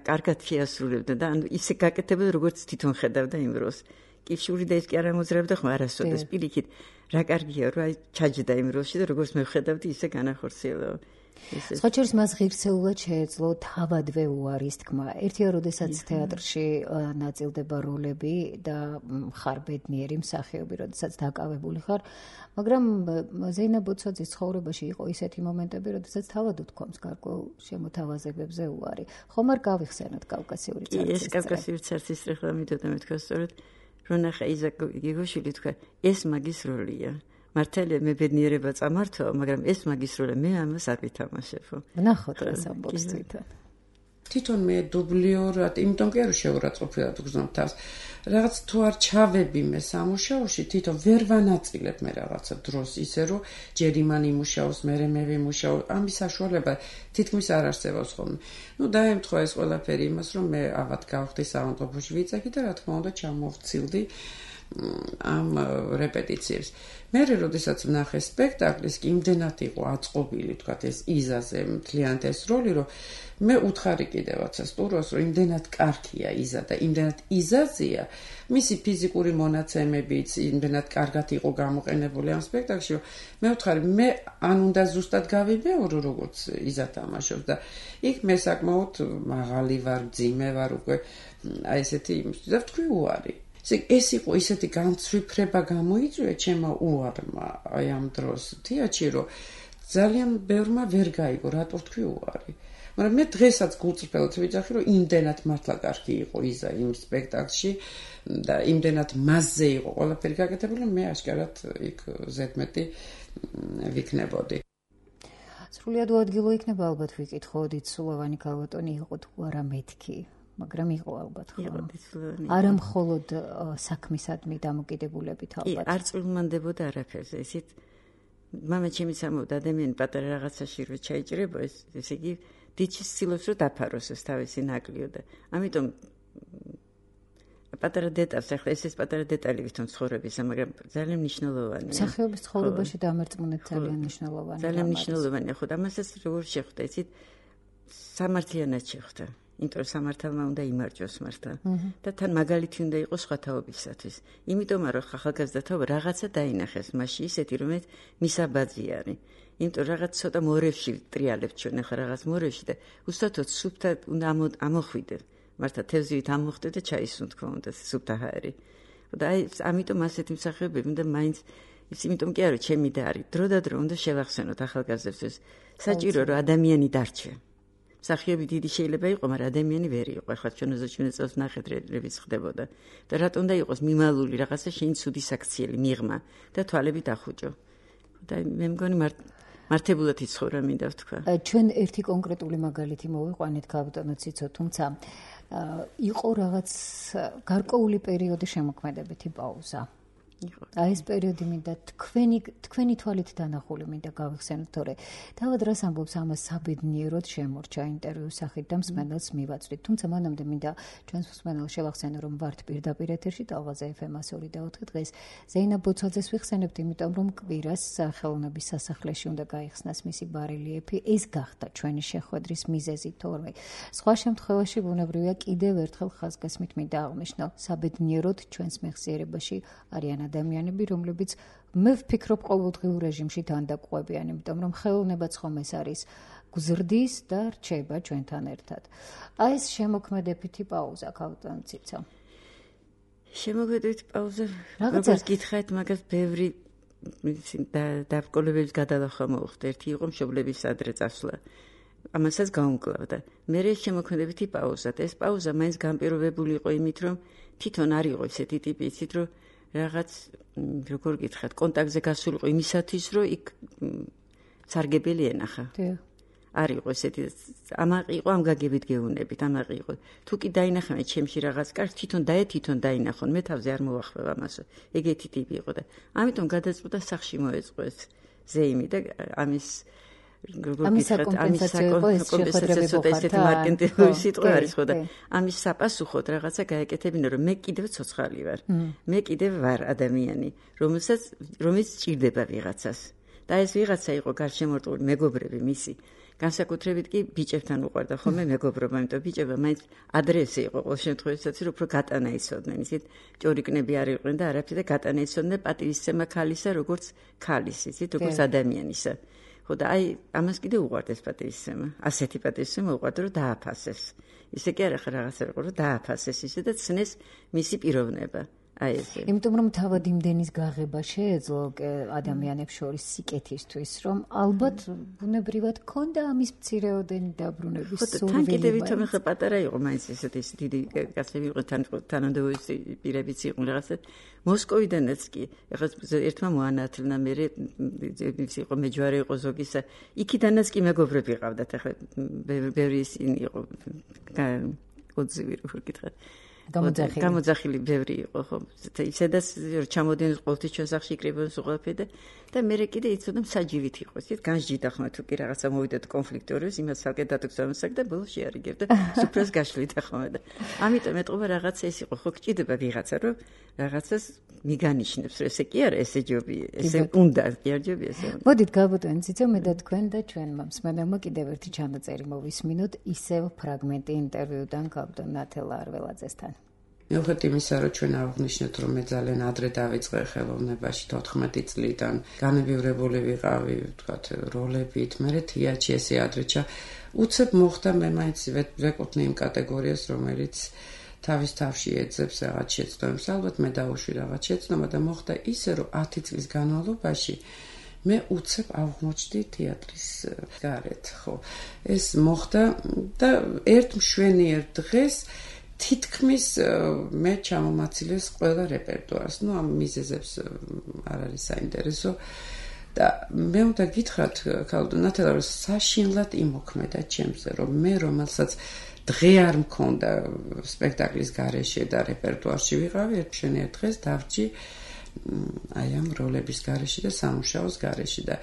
კარგად შეასრულებდა და ანუ ისე გაკეთებოდა, როგორც თვითონ ხედავდა იმ როლს. კიფშური და ის კი არ ამოძრავდა ხომ არასოდეს პირიქით. რა კარგია, რომ აი ჩაჯდა იმ როლში და როგორც მე ვხედავდი, ისე განახორციელა. სხვა შორის მას ღირსეულად შეეძლო თავადვე უარის თქმა. ერთია, როდესაც თეატრში ნაწილდება როლები და ხარ ბედნიერი მსახიობი, როდესაც დაკავებული ხარ, მაგრამ ზეინა ბოცვაძის ცხოვრებაში იყო ისეთი მომენტები, როდესაც თავად უთქვამს გარკვეულ შემოთავაზებებზე უარი. ხომ არ გავიხსენოთ კავკასიური წარწერა? ეს კავკასიური წარწერა ხლა მითოდა მეთქვა სწორედ, რომ ნახე იზაკ გიგოშვილი თქვა, ეს მაგის როლია. მართალია მე ბედნიერება წამართვა, მაგრამ ეს მაგის როლია, მე ამას არ ვითამაშებო. ნახოთ რა ამბობს თვითონ. თვითონ მე დუბლიორად, იმიტომ კი არ შეურაცხყოფილად ვგზნობ თავს. რაღაც თუ არ ჩავები მე სამუშაოში, თვითონ ვერ ვანაწილებ მე რაღაცა დროს ისე რომ ჯერ იმან იმუშაოს, მერე მე ვიმუშაო, ამის საშუალება თითქმის არ არსებობს ხოლმე. ნუ დაემთხვა ეს ყველაფერი იმას, რომ მე ავად გავხდი საავადმყოფოში ვიწექი და რა თქმა უნდა ჩამოვცილდი ამ რეპეტიციებს. მე როდესაც ვნახე სპექტაკლის, კი იმდენად იყო აწყობილი, თქვათ ეს იზაზე მთლიანად ეს როლი, რომ მე უთხარი კიდევაც სტუროს, რომ იმდენად კარგია იზა და იმდენად იზაზია, მისი ფიზიკური მონაცემებიც იმდენად კარგად იყო გამოყენებული ამ სპექტაკლში, რომ მე უთხარი, მე ან უნდა ზუსტად გავიბეორო, როგორც იზა თამაშობს და იქ მე საკმაოდ მაღალი ვარ, ძიმე ვარ უკვე, აი ესეთი იმისთვის და ვთქვი უარი. ეს იყო ისეთი განცვიფრება გამოიწვია ჩემო უარმა აი ამ დროს თეატრში, რომ ძალიან ბევრმა ვერ გაიგო, რატო თქვი უარი. მაგრამ მე დღესაც გულწრფელად ვიძახი, რომ იმდენად მართლა კარგი იყო იზა იმ სპექტაკლში და იმდენად მასზე იყო ყველაფერი გაკეთებული, რომ მე აშკარად იქ ზედმეტი ვიქნებოდი. სრულიად უადგილო იქნება ალბათ ვიკითხოდით, სულოვანი ქალბატონი იყო თუ არა მეთქი. მაგრამ იყო ალბათ ხო? არა მხოლოდ საქმისადმი დამოკიდებულებით ალბათ. არ წვრილმანდებოდა არაფერზე. ისეთ მამა ჩემი სამოვდა ადამიანი პატარა რაღაცაში რო ჩაიჭრება, ეს ესე იგი დიჩის ცდილობს რომ დაფაროს ეს თავისი ნაკლიო და ამიტომ პატარა დეტალს ახლა ეს ეს პატარა დეტალი ვითომ ცხოვრებისა, მაგრამ ძალიან მნიშვნელოვანია. სახეობის ცხოვრებაში დამერწმუნეთ ძალიან მნიშვნელოვანია. ძალიან მნიშვნელოვანია, ხო, ამასაც როგორ შეხვდა, იცით, სამართლიანად შეხვდა. იმიტომ რომ სამართალმა უნდა იმარჯვოს მართლა და თან მაგალითი უნდა იყოს სხვა თაობისათვის. იმიტომ რომ ახალგაზრდა თაობა რაღაცა დაინახეს მასში ისეთი, რომელიც მისაბაძი არის. იმიტომ რაღაც ცოტა მორევში ტრიალებთ ჩვენ ახლა რაღაც მორევში და უსტათოდ სუფთა უნდა ამოხვიდე. მართლა თევზივით ამოხვდე და ჩაისუნ თქო უნდა სუფთა ჰაერი. და აი ამიტომ ასეთი მსახიობები უნდა მაინც ის იმიტომ კი არა ჩემი და არის. დრო და დრო უნდა შევახსენოთ ახალგაზრდებს. საჭირო რომ ადამიანი დარჩე. მსახიობი დიდი შეიძლება იყო, მაგრამ ადამიანი ვერ იყო. ახლა ჩვენ ოზაჩვენე წელს ნახეთ რებიც ხდებოდა. და რატომ უნდა იყოს მიმალული რაღაცა შენ ცუდი საქციელი მიღმა და თვალები დახუჭო. და მე მგონი მართებულად იცხოვრა მინდა ვთქვა. ჩვენ ერთი კონკრეტული მაგალითი მოვიყვანეთ ქალბატონო ციცო, თუმცა იყო რაღაც გარკვეული პერიოდი შემოქმედებითი პაუზა. აი ეს პერიოდი მინდა თქვენი თქვენი თვალით დანახული მინდა გავიხსენოთ, თორე თავად რას ამბობს ამას საბედნიეროდ შემორჩა ინტერვიუს სახით და მსმენელს მივაწვდით. თუმცა მანამდე მინდა ჩვენს მსმენელს შევახსენო, რომ ვართ პირდაპირ ეთერში ტალღაზე ეფ ემ ორი და ოთხი დღეს ზეინა ბოცვაძეს ვიხსენებთ, იმიტომ რომ კვირას სახელოვნების სასახლეში უნდა გაიხსნას მისი ბარელიეფი. ეს გახდა ჩვენი შეხვედრის მიზეზი, თორე სხვა შემთხვევაში ბუნებრივია კიდევ ერთხელ ხაზგასმით მინდა აღნიშნო, საბედნიეროდ ჩვენს მეხსიერებაში არიან ადამიანები, რომლებიც მე ვფიქრობ ყოველდღიურ რეჟიმში თანდაყუებიან, იმიტომ რომ ხელოვნებაც ხომ ეს არის გზრდის და რჩება ჩვენთან ერთად. აი ეს შემოქმედებითი პაუზა ქალბატონ ციცა. შემოქმედებითი პაუზა, როგორც გითხარით, მაგას ბევრი დაბრკოლებების გადალახვა მოუხდა. ერთი იყო მშობლების ადრე წასვლა. ამასაც გაუმკლავდა. მერე შემოქმედებითი პაუზა. ეს პაუზა მაინც განპირობებული იყო იმით, რომ თვითონ არ იყო ესეთი ტიპი, იცით, რომ რაღაც როგორ გითხრათ, კონტაქტზე გასულიყო იმისათვის, რომ იქ სარგებელი ენახა. არ იყო ესეთი, ამაყი იყო ამ გაგებით გეუნებით, ამაყი იყო. თუ კი დაინახავენ ჩემში რაღაც კარგს, თვითონ დაე თვითონ დაინახონ, მე თავზე არ მოვახმევ ამასო. ეგეთი ტიპი იყო და ამიტომ გადაწყვიტა სახში მოეწყო ეს ზეიმი და ამის ამის საკომპენსაციო ესეთი მარკეტინგული სიტყვა არის ხო და ამის საპასუხოდ რაღაცა გაეკეთებინა, რომ მე კიდევ ცოცხალი ვარ. მე კიდევ ვარ ადამიანი, რომელსაც რომელიც სჭირდება ვიღაცას. და ეს ვიღაცა იყო გარშემორტყმული მეგობრები მისი. განსაკუთრებით კი ბიჭებთან უყვარდა ხოლმე მეგობრობა, იმიტომ ბიჭება მაინც ადრესე იყო ყოველ შემთხვევაში, რომ უფრო გატანა იცოდნენ, ისეთ ჭორიკნები არ იყვნენ და არაფერი და გატანა იცოდნენ პატივისცემა ქალისა, როგორც ქალის, ისეთ როგორც ადამიანისა. ხო და აი ამას კიდე უყვარდეს პატივისცემა. ასეთი პატივისცემა უყვარდა რომ დააფასეს. ისე კი არა ხა რაღაცა იყო რომ დააფასეს ისე და ცნეს მისი პიროვნება. აი ესე. იმიტომ რომ თავად იმდენის გაღება შეეძლო ადამიანებს შორის სიკეთისთვის, რომ ალბათ ბუნებრივად ქონდა ამის მცირეოდენი დაბრუნების სურვილი. თან კიდევ ვითომ ხა პატარა იყო მაინც ესეთი ის დიდი კაცები იყო თან თანამდებობის პირებიც იყო რაღაცა მოსკოვიდანაც კი ეხლა ერთმა მოანათლნა მე ის იყო მეჯვარე იყო ზოგისა იქიდანაც კი მეგობრები ყავდათ ეხლა ბევრი ისინი იყო კოძივი რო ვკითხე გამოძახილი გამოძახილი ბევრი იყო ხო ისედაც ჩამოდიან ყოველთვის ჩვენ სახში იკრიბებენ სუღაფედა და მე კიდე იცოდა მსაჯივით იყო ისეთ განსჯიდა ხმა თუ კი რაღაცა მოვიდეთ კონფლიქტორის იმას ცალკე დატოქცევამსაკ და ბოლოს შეარიგებ და სუფრას გაშლით ხმა და ამიტომ ეტყობა რაღაცა ეს იყო ხო გჭირდება ვიღაცა რომ რაღაცას მიგანიშნებს რომ ესე კი არა ესე ჯობია ესე უნდა კი არ ჯობია ესე მოდით გავუტანთ ციცო მე და თქვენ და ჩვენმა მსმენელმა კიდევ ერთი ჩანაწერი მოვისმინოთ ისევ ფრაგმენტი ინტერვიუდან გაბდონ ნათელა არველაძესთან მიუხედავად იმისა, რომ ჩვენ აღნიშნეთ, რომ მე ძალიან ადრე დავიწყე ხელოვნებაში თოთხმეტი წლიდან, განებივრებული ვიყავი, ვთქვათ, როლებით, მე თეატრში ესე ადრეჩა, უცებ მოხდა მე მაინც ვეკუთვნი იმ კატეგორიას, რომელიც თავის თავში ეძებს რაღაც შეცდომებს, ალბათ მე დავუშვი რაღაც შეცდომა და მოხდა ისე, რომ ათი წლის განმავლობაში მე უცებ აღმოჩნდი თეატრის გარეთ, ხო. ეს მოხდა და ერთ მშვენიერ დღეს თითქმის მე ჩამომაცილეს ყველა რეპერტუარს. ნუ ამ მიზეზებს არ არის საინტერესო და მე უნდა გითხრათ ქალბატონ ნათელა რომ საშინლად იმოქმედა ჩემზე რომ მე რომელსაც დღე არ მქონდა სპექტაკლის გარეშე და რეპერტუარში ვიყავი ერთ მშვენიერ დღეს დავრჩი აი ამ როლების გარეშე და სამუშაოს გარეშე და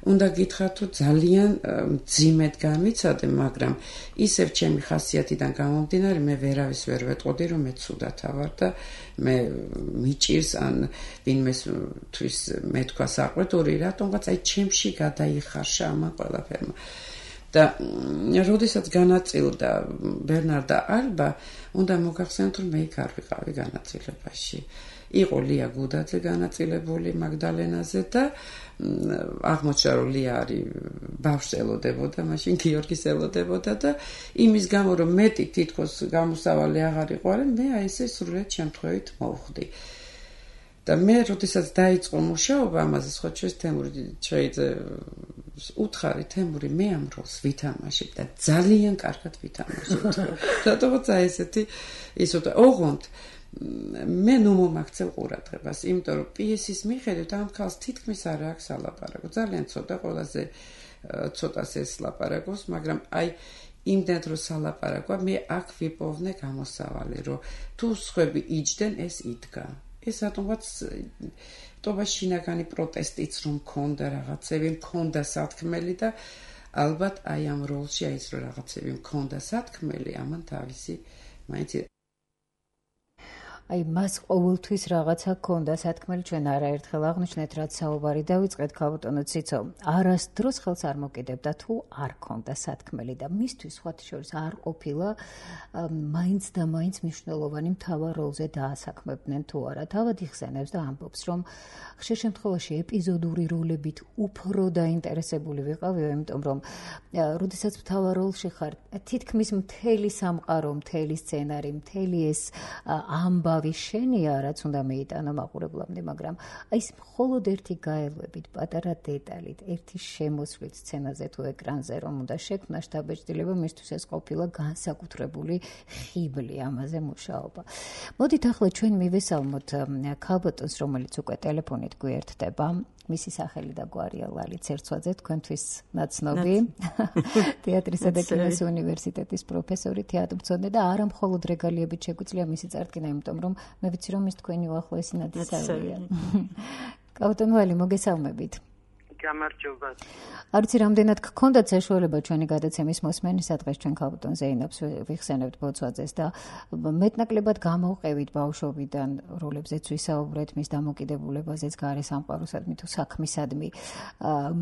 უნდა გითხრათ რომ ძალიან მძიმედ გამიცადე, მაგრამ ისევ ჩემი ხასიათიდან გამომდინარე მე ვერავის ვერ ვეტყოდი რომ მე ცუდათა ვარ და მე მიჭირს ან ვინმეს თვის მე თქვა საყვედური რატომღაც აი ჩემში გადაიხარშა ამან ყველაფერმა და როდესაც განაწილდა ბერნარდა ალბა უნდა მოგახსენოთ რომ მე იქ არ ვიყავი განაწილებაში იყო ლია გუდაძე განაწილებული მაგდალენაზე და აღმოჩნდა რომ ლია არის ბავშვს ელოდებოდა, მაშინ გიორგის ელოდებოდა და იმის გამო რომ მეტი თითქოს გამოსავალი აღარ იყო, მე აი ესე სრულად შემთხვევით მოვხვდი. და მე როდესაც დაიწყო მუშაობა ამაზე, სხვა ჩვენს თემური შეიძლება უთხარი თემური მე ამ როლს ვითამაშებ და ძალიან კარგად ვითამაშებ. რატომაც აი ესეთი ისოთა ოღონდ მე ნუ მომაქცევ ყურადღებას, იმიტომ რომ პიესის მიხედვით ამ ქალს თითქმის არ აქვს ალაპარაკო. ძალიან ცოტა ყველაზე ცოტას ეს ლაპარაკობს, მაგრამ აი იმდენად რომ სალაპარაკოა, მე აქ ვიპოვნე გამოსავალი, რომ თუ სხვები იჯდნენ, ეს იდგა. ეს რატომღაც ტობა შინაგანი პროტესტიც რომ მქონდა, რაღაცები მქონდა სათქმელი და ალბათ აი ამ როლში აი ეს რომ რაღაცები მქონდა სათქმელი, ამან თავისი მაინც აი მას ყოველთვის რაღაცა ქონდა სათქმელი ჩვენ არაერთხელ აღნიშნეთ რაც საუბარი დავიწყეთ ქალბატონო ციცო არასდროს ხელს არ მოკიდებდა თუ არ ქონდა სათქმელი და მისთვის სხვათა შორის არ ყოფილა მაინც და მაინც მნიშვნელოვანი მთავარ როლზე დაასაქმებდნენ თუ არა თავად იხსენებს და ამბობს რომ ხშირ შემთხვევაში ეპიზოდური როლებით უფრო დაინტერესებული ვიყავიო იმიტომ რომ როდესაც მთავარ როლში ხარ თითქმის მთელი სამყარო მთელი სცენარი მთელი ეს ამბა შენია რაც უნდა მეიტანო მაყურებლამდე, მაგრამ აი ეს მხოლოდ ერთი გაელვებით, პატარა დეტალით, ერთი შემოსვლით სცენაზე თუ ეკრანზე რომ უნდა შექმნა შთაბეჭდილება, მისთვის ეს ყოფილა განსაკუთრებული ხიბლი ამაზე მუშაობა. მოდით ახლა ჩვენ მივესალმოთ ქალბატონს, რომელიც უკვე ტელეფონით გვერდდება. მისი სახელი და გვარია ლალი ცერცვაძე, თქვენთვის ნაცნობი თეატრისა და კინოს უნივერსიტეტის პროფესორი, თეატრმცოდნე და არა მხოლოდ რეგალიებით შეგვიძლია მისი წარდგენა, იმიტომ რომ მე ვიცი რომ ის თქვენი უახლოესი ნათესავია. ქალბატონ ლალი, მოგესალმებით. გამარჯობა. არ ვიცი რამდენად გქონდათ საშუალება ჩვენი გადაცემის მოსმენის დღეს ჩვენ ქალბატონ ზეინაბს ვიხსენებთ ბოცვაძეს და მეტნაკლებად გამოვყევით ბავშვობიდან როლებზეც ვისაუბრეთ მის დამოკიდებულებაზეც გარე სამყაროსადმი თუ საქმისადმი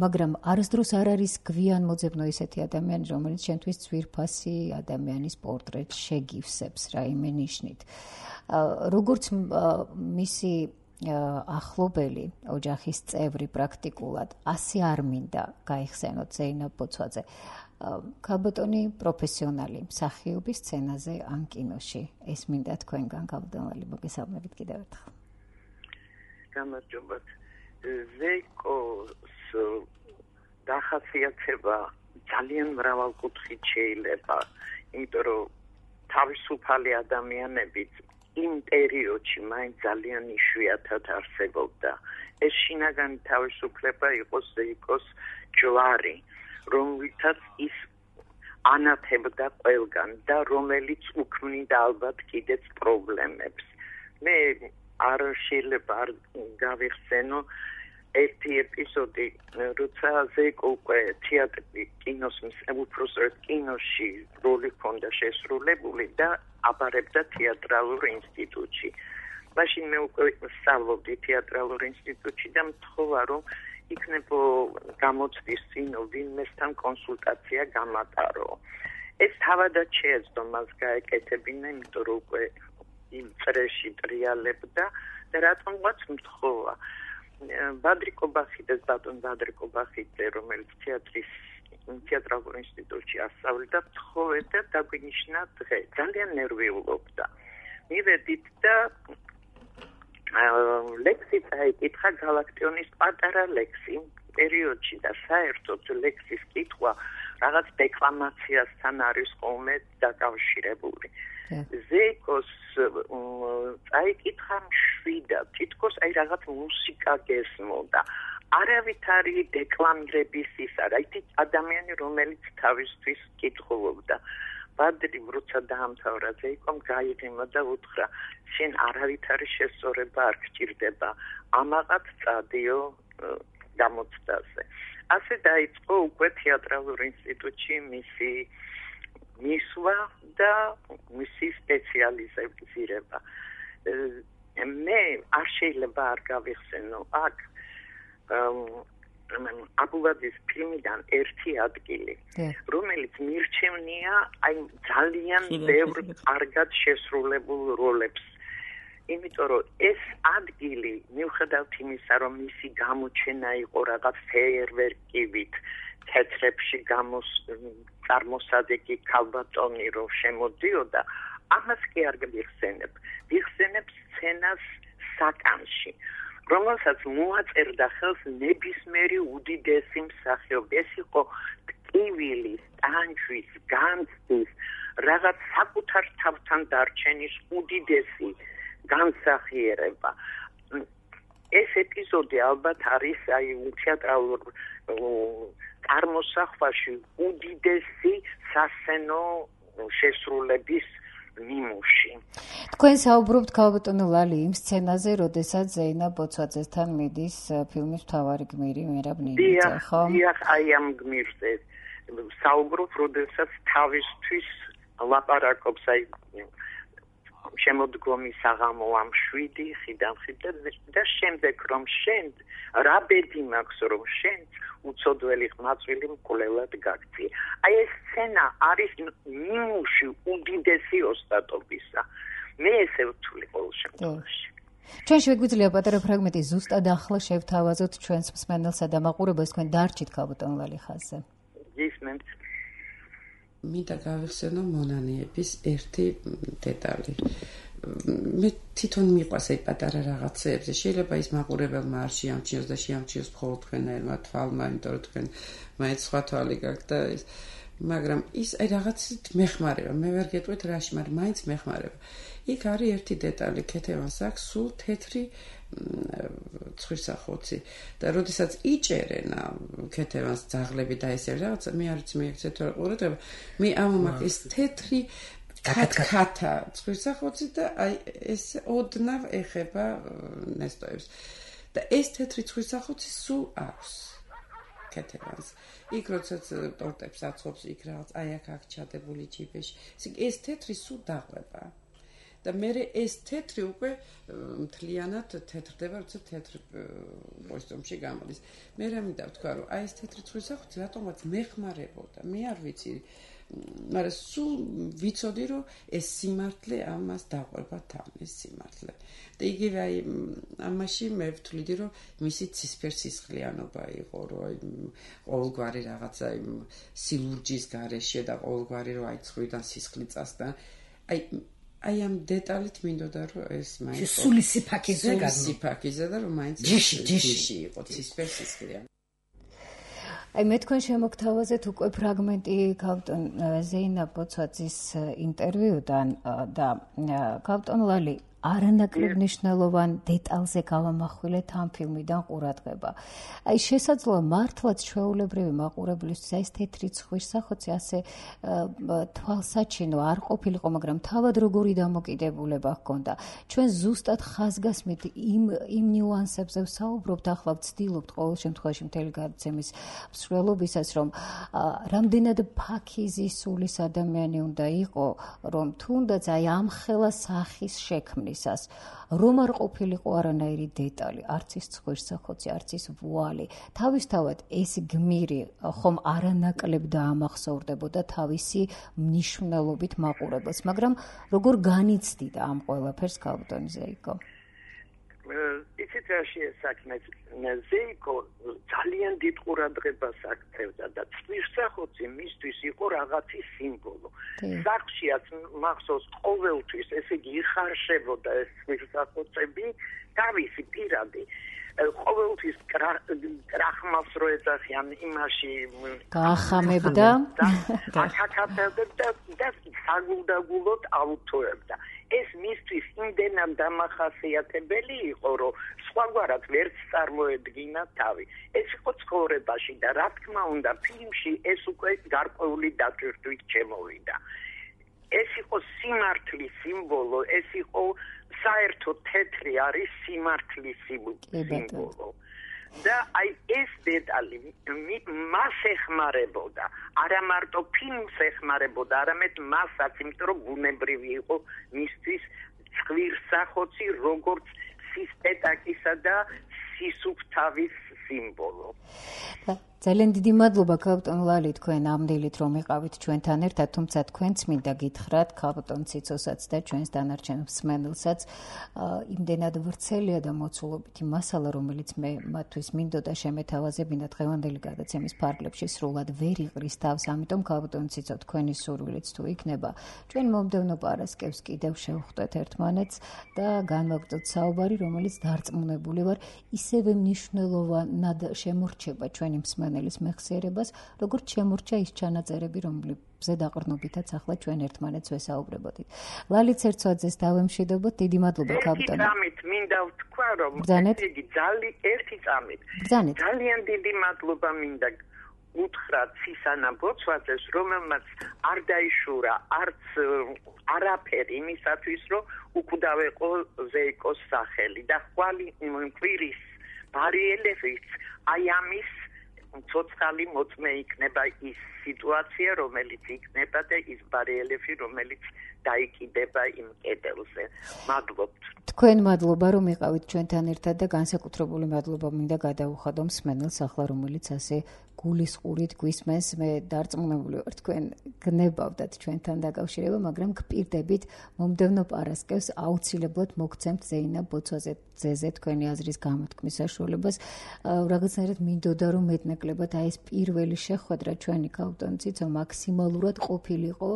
მაგრამ არასდროს არ არის გვიან მოძებნო ისეთი ადამიანი რომელიც ჩვენთვის ძვირფასი ადამიანის პორტრეტს შეგივსებს რაიმე ნიშნით როგორც მისი ახლობელი ოჯახის წევრი პრაქტიკულად ასე არ მინდა გაიხსენოთ ზეინაბ ბოცვაძე. ქალბატონი პროფესიონალი მსახიობის სცენაზე ან კინოში. ეს მინდა თქვენგან ქალბატონი მოგესალმებით კიდევ ერთხელ. გამარჯობათ. ზეკოს დახასიათება ძალიან მრავალკუთხით შეიძლება, იმიტომ რომ თავისუფალი ადამიანები იმ პერიოდში მაინც ძალიან იშვიათად არსებობდა. ეს შინაგანი თავისუფლება იყო ზეკოს ჯვარი, რომელთაც ის ანათებდა ყველგან და რომელიც უქმნიდა ალბათ კიდეც პრობლემებს. მე არ შეიძლება არ გავიხსენო ერთი ეპიზოდი, როცა ზეკო უკვე თეატრი კინოს უпроსტად კინოში როლი ჰქონდა შესრულებული და აბარებდა თეატრალურ ინსტიტუტში. მაშინ მე უკვე სწავლობდი თეატრალურ ინსტიტუტში და მთხოვა რომ იქნებო გამოცდის წინ ვინმესთან კონსულტაცია გამატარო. ეს თავადაც შეეძლო მას გაეკეთებინა, იმიტომ რომ უკვე იმ წრეში ტრიალებდა და რატომღაც მთხოვა. ბადრიკობახიდეს ბატონ ბადრიკობახიძე, რომელიც თეატრის თეატრალურ ინსტიტუტში ასწავლიდა, მთხოვედა დაგვინიშნა დღე. ძალიან ნერვიულობდა. მივედით და ლექსი წაიკითხა გალაქტიონის პატარა ლექსი პერიოდში და საერთოდ ლექსის კითხვა რაღაც დეკლამაციასთან არის ხოლმე დაკავშირებული. ზეკოს წაიკითხა მშვიდად, თითქოს აი რაღაც მუსიკა გესმოდა. არავითარი დეკლამირების ის არა, ის ადამიანი, რომელიც თავისთვის კითხულობდა. ბადრიმ როცა დაამთავრა ზეკომ გაიღიმა და უთხრა, შენ არავითარი შესწორება არ გჭირდება, ამაყად წადიო გამოცდაზე. ასე დაიწყო უკვე თეატრალურ ინსტიტუტში მისი მისვლა და მისი სპეციალიზება. მე არ შეიძლება არ გავიხსენო აქ აბულაძის ფილმიდან ერთი ადგილი, რომელიც მირჩევნია აი ძალიან ბევრ კარგად შესრულებულ როლებს. იმიტომ რომ ეს ადგილი მიუხედავად იმისა, რომ მისი გამოჩენა იყო რაღაც ფეიერვერკივით, თეთრებში წარმოსადეგი ქალბატონი რომ შემოდიოდა, ამას კი არ გიხსენებ. ვიხსენებ სცენას საკანში, რომელსაც მოაწერდა ხელს ნებისმიერი უდიდესი მსახიობი. ეს იყო ტკივილის, ტანჯვის, განცდის, რაღაც საკუთარ თავთან დარჩენის უდიდესი განსახიერება. ეს ეპიზოდი ალბათ არის აი თეატრალურ წარმოსახვაში უდიდესი სასცენო შესრულების ნიმუში. თქვენ საუბრობთ ქალბატონო ლალი იმ სცენაზე, როდესაც ზეინაბ ბოცვაძესთან მიდის ფილმის მთავარი გმირი მერაბ ნინიძე, ხო? დიახ, აი ამ გმირზე საუბრობ, როდესაც თავისთვის ლაპარაკობს აი შემოდგომი საღამო ამ შვიდი ხიდან ხიდან და შემდეგ რომ შენ რა ბედი მაქვს რომ შენ უცოდველი ხმაწვილი მკვლელად გაგწია. აი ეს სცენა არის ნიმუში უდიდესი ოსტატობისა. მე ესე ვთვლი ყოველ შემთხვევაში. ჩვენ შეგვიძლია პატარა ფრაგმენტი ზუსტად ახლა შევთავაზოთ ჩვენს მსმენელსა და მაყურებელს, თქვენ დარჩით ქალბატონ ლალი ხაზზე. გისმენთ. მინდა გავიხსენო მონანიების ერთი დეტალი. მე თვითონ მიყვარს აი პატარა რაღაცეებზე. შეიძლება ის მაყურებელმა არ შეამჩნიოს და შეამჩნიოს მხოლოდ თქვენაერმა თვალმა, იმიტომ რომ თქვენ მაინც სხვა თვალი გაქვთ და ის, მაგრამ ის აი რაღაცით მეხმარება. მე ვერ გეტყვით რაში, მაგრამ მაინც მეხმარება. იქ არის ერთი დეტალი, ქეთევანს აქვს სულ თეთრი ცხვირსახოცი და როდესაც იჭერენ ქეთევანს ძაღლები და ესე რაღაცა, მე არ ვიცი, მე ეგეთ ყურადღება, მე ამომაქ ეს თეთრი კატკატა ცხვირსახოცი და აი ეს ოდნავ ეხება ნესტოებს და ეს თეთრი ცხვირსახოცი სულ აქვს ქეთევანს. იქ როდესაც ტორტებს აწყობს, იქ რაღაც აი აქ აქ ჩადებული ჯიბეში, ეს თეთრი სულ დაყვება. და მე ეს თეთრი უკვე მთლიანად თეთრდება, როცა თეთრ კოსტუმში გამოდის. მე რა მინდა ვთქვა, რომ აი ეს თეთრი ცხვირსახოცი რატომაც მეხმარებოდა. მე არ ვიცი, მაგრამ სულ ვიცოდი რომ ეს სიმართლე ამას დაყვება თან ეს სიმართლე და იგივე აი ამაში მე ვთვლიდი რომ მისი ცისფერსისხლიანობა იყო რომ ყოველგვარი რაღაცა იმ სილურჯის გარეშე და ყოველგვარი რომ აი ცხრიდან სისხლი წასდა აი აი ამ დეტალით მინდოდა რომ ეს მაინც სული სიფაქიზე გადმო სიფაქიზე და რომ მაინც ჯიში ჯიში იყო ცისფერსისხლიანი აი მე თქვენ შემოგთავაზეთ უკვე ფრაგმენტი კაპიტან ზეინა ბოცვაძის ინტერვიუდან და კაპიტან ლალი არანაკლებ მნიშვნელოვან დეტალზე გავამახვილეთ ამ ფილმიდან ყურადღება. აი შესაძლოა მართლაც ჩვეულებრივი მაყურებლისთვის ეს თეთრი ცხვირსახოცი ასე თვალსაჩინო არ ყოფილიყო, მაგრამ თავად როგორი დამოკიდებულება ჰქონდა. ჩვენ ზუსტად ხაზგასმით იმ იმ ნიუანსებზე ვსაუბრობთ, ახლა ვცდილობთ ყოველ შემთხვევაში მთელი გადაცემის მსვლელობისას, რომ რამდენად ფაქიზი სულის ადამიანი უნდა იყო, რომ თუნდაც აი ამ ხელა სახის შექმნის რომ არ ყოფილიყო არანაირი დეტალი, არც ის ცხვირსახოცი, არც ის ვუალი. თავისთავად ეს გმირი ხომ არანაკლებ დაამახსოვრდებოდა თავისი მნიშვნელობით მაყურებელს, მაგრამ როგორ განიცდიდა ამ ყველაფერს კაპიტან ზეიკო? იცით რა შეესაქმეს ზეიკო ძალიან დიდ ყურადღებას აქცევდა და ცხვირსახოცი მისთვის იყო რაღაცის სიმბოლო. სახლშიაც მახსოვს ყოველთვის ესე იგი იხარშებოდა ეს ცხვირსახოცები თავისი პირადი ყოველთვის კრახმალს რო ეძახიან იმაში გაახამებდა აკაკაბდა და საგულდაგულოდ აუთოებდა. ეს მისთვის იმდენად დამახასიათებელი იყო, რომ სხვაგვარად ვერც წარმოედგინა თავი. ეს იყო ცხოვრებაში და რა თქმა უნდა ფილმში ეს უკვე გარკვეული დაჭირვით შემოვიდა. ეს იყო სიმართლის სიმბოლო, ეს იყო საერთოდ თეთრი არის სიმართლის სიმბოლო. და აი ეს დეტალი მას ეხმარებოდა, არა მარტო ფილმს ეხმარებოდა, არამედ მასაც, იმიტომ რომ ბუნებრივი იყო მისთვის ცხვირსახოცი როგორც სისპეტაკისა და სისუფთავის სიმბოლო. ძალიან დიდი მადლობა კაპიტან ლალი თქვენ ამდელით რომ იყავით ჩვენთან ერთად, თუმცა თქვენც მინდა გითხრათ კაპიტან ციცოსაც და ჩვენს დანარჩენ მსმენელსაც იმდენად ვრცელია და მოცულობითი მასალა, რომელიც მე მათთვის მინდოდა შემეთავაზებინა დღევანდელი გადაცემის ფარგლებში სრულად ვერ იყრის თავს, ამიტომ კაპიტან ციცო თქვენი სურვილიც თუ იქნება, ჩვენ მომდევნო პარასკევს კიდევ შევხვდეთ ერთმანეთს და განვაგრძელოთ საუბარი, რომელიც დარწმუნებული ვარ ისევე მნიშვნელოვნად შემორჩება ჩვენი მსმენელს მეხსიერებას, როგორც შემორჩა ის ჩანაწერები, რომლებზე დაყრდნობითაც ახლა ჩვენ ერთმანეთს ვესაუბრებოდით. ლალიც ერცვაძეს დავემშვიდობოთ, დიდი მადლობა კაპიტანო. ერთი წამით მინდა ვთქვა, რომ იგი ძალიან ერთი წამით. ძალიან დიდი მადლობა მინდა უთხრა ცისანა ბოცვაძეს, რომელმაც არ დაიშურა არც არაფერი იმისათვის, რომ უკვდავეყო ზეიკოს სახელი და ხვალ კვირის ბარიელებით აი ამის ცოცხალი მოწმე იქნება ის სიტუაცია, რომელიც იქნება და ის ბარიელები, რომელიც დაიკიდება იმ კედელზე. მადლობთ. თქვენ მადლობა რომ იყავით ჩვენთან ერთად და განსაკუთრებული მადლობა მინდა გადაუხადო მსმენელს ახლა, რომელიც ასე გულისყურით გვისმენს. მე დარწმუნებული ვარ თქვენ გნებავდათ ჩვენთან დაკავშირება, მაგრამ გპირდებით მომდევნო პარასკევს აუცილებლად მოგცემთ ზეინა ბოცვაძეზე თქვენი აზრის გამოთქმის საშუალებას. რაღაცნაირად მინდოდა რომ მეტნაკლებად აი ეს პირველი შეხვედრა ჩვენი კაპიტან ციცო მაქსიმალურად ყოფილიყო,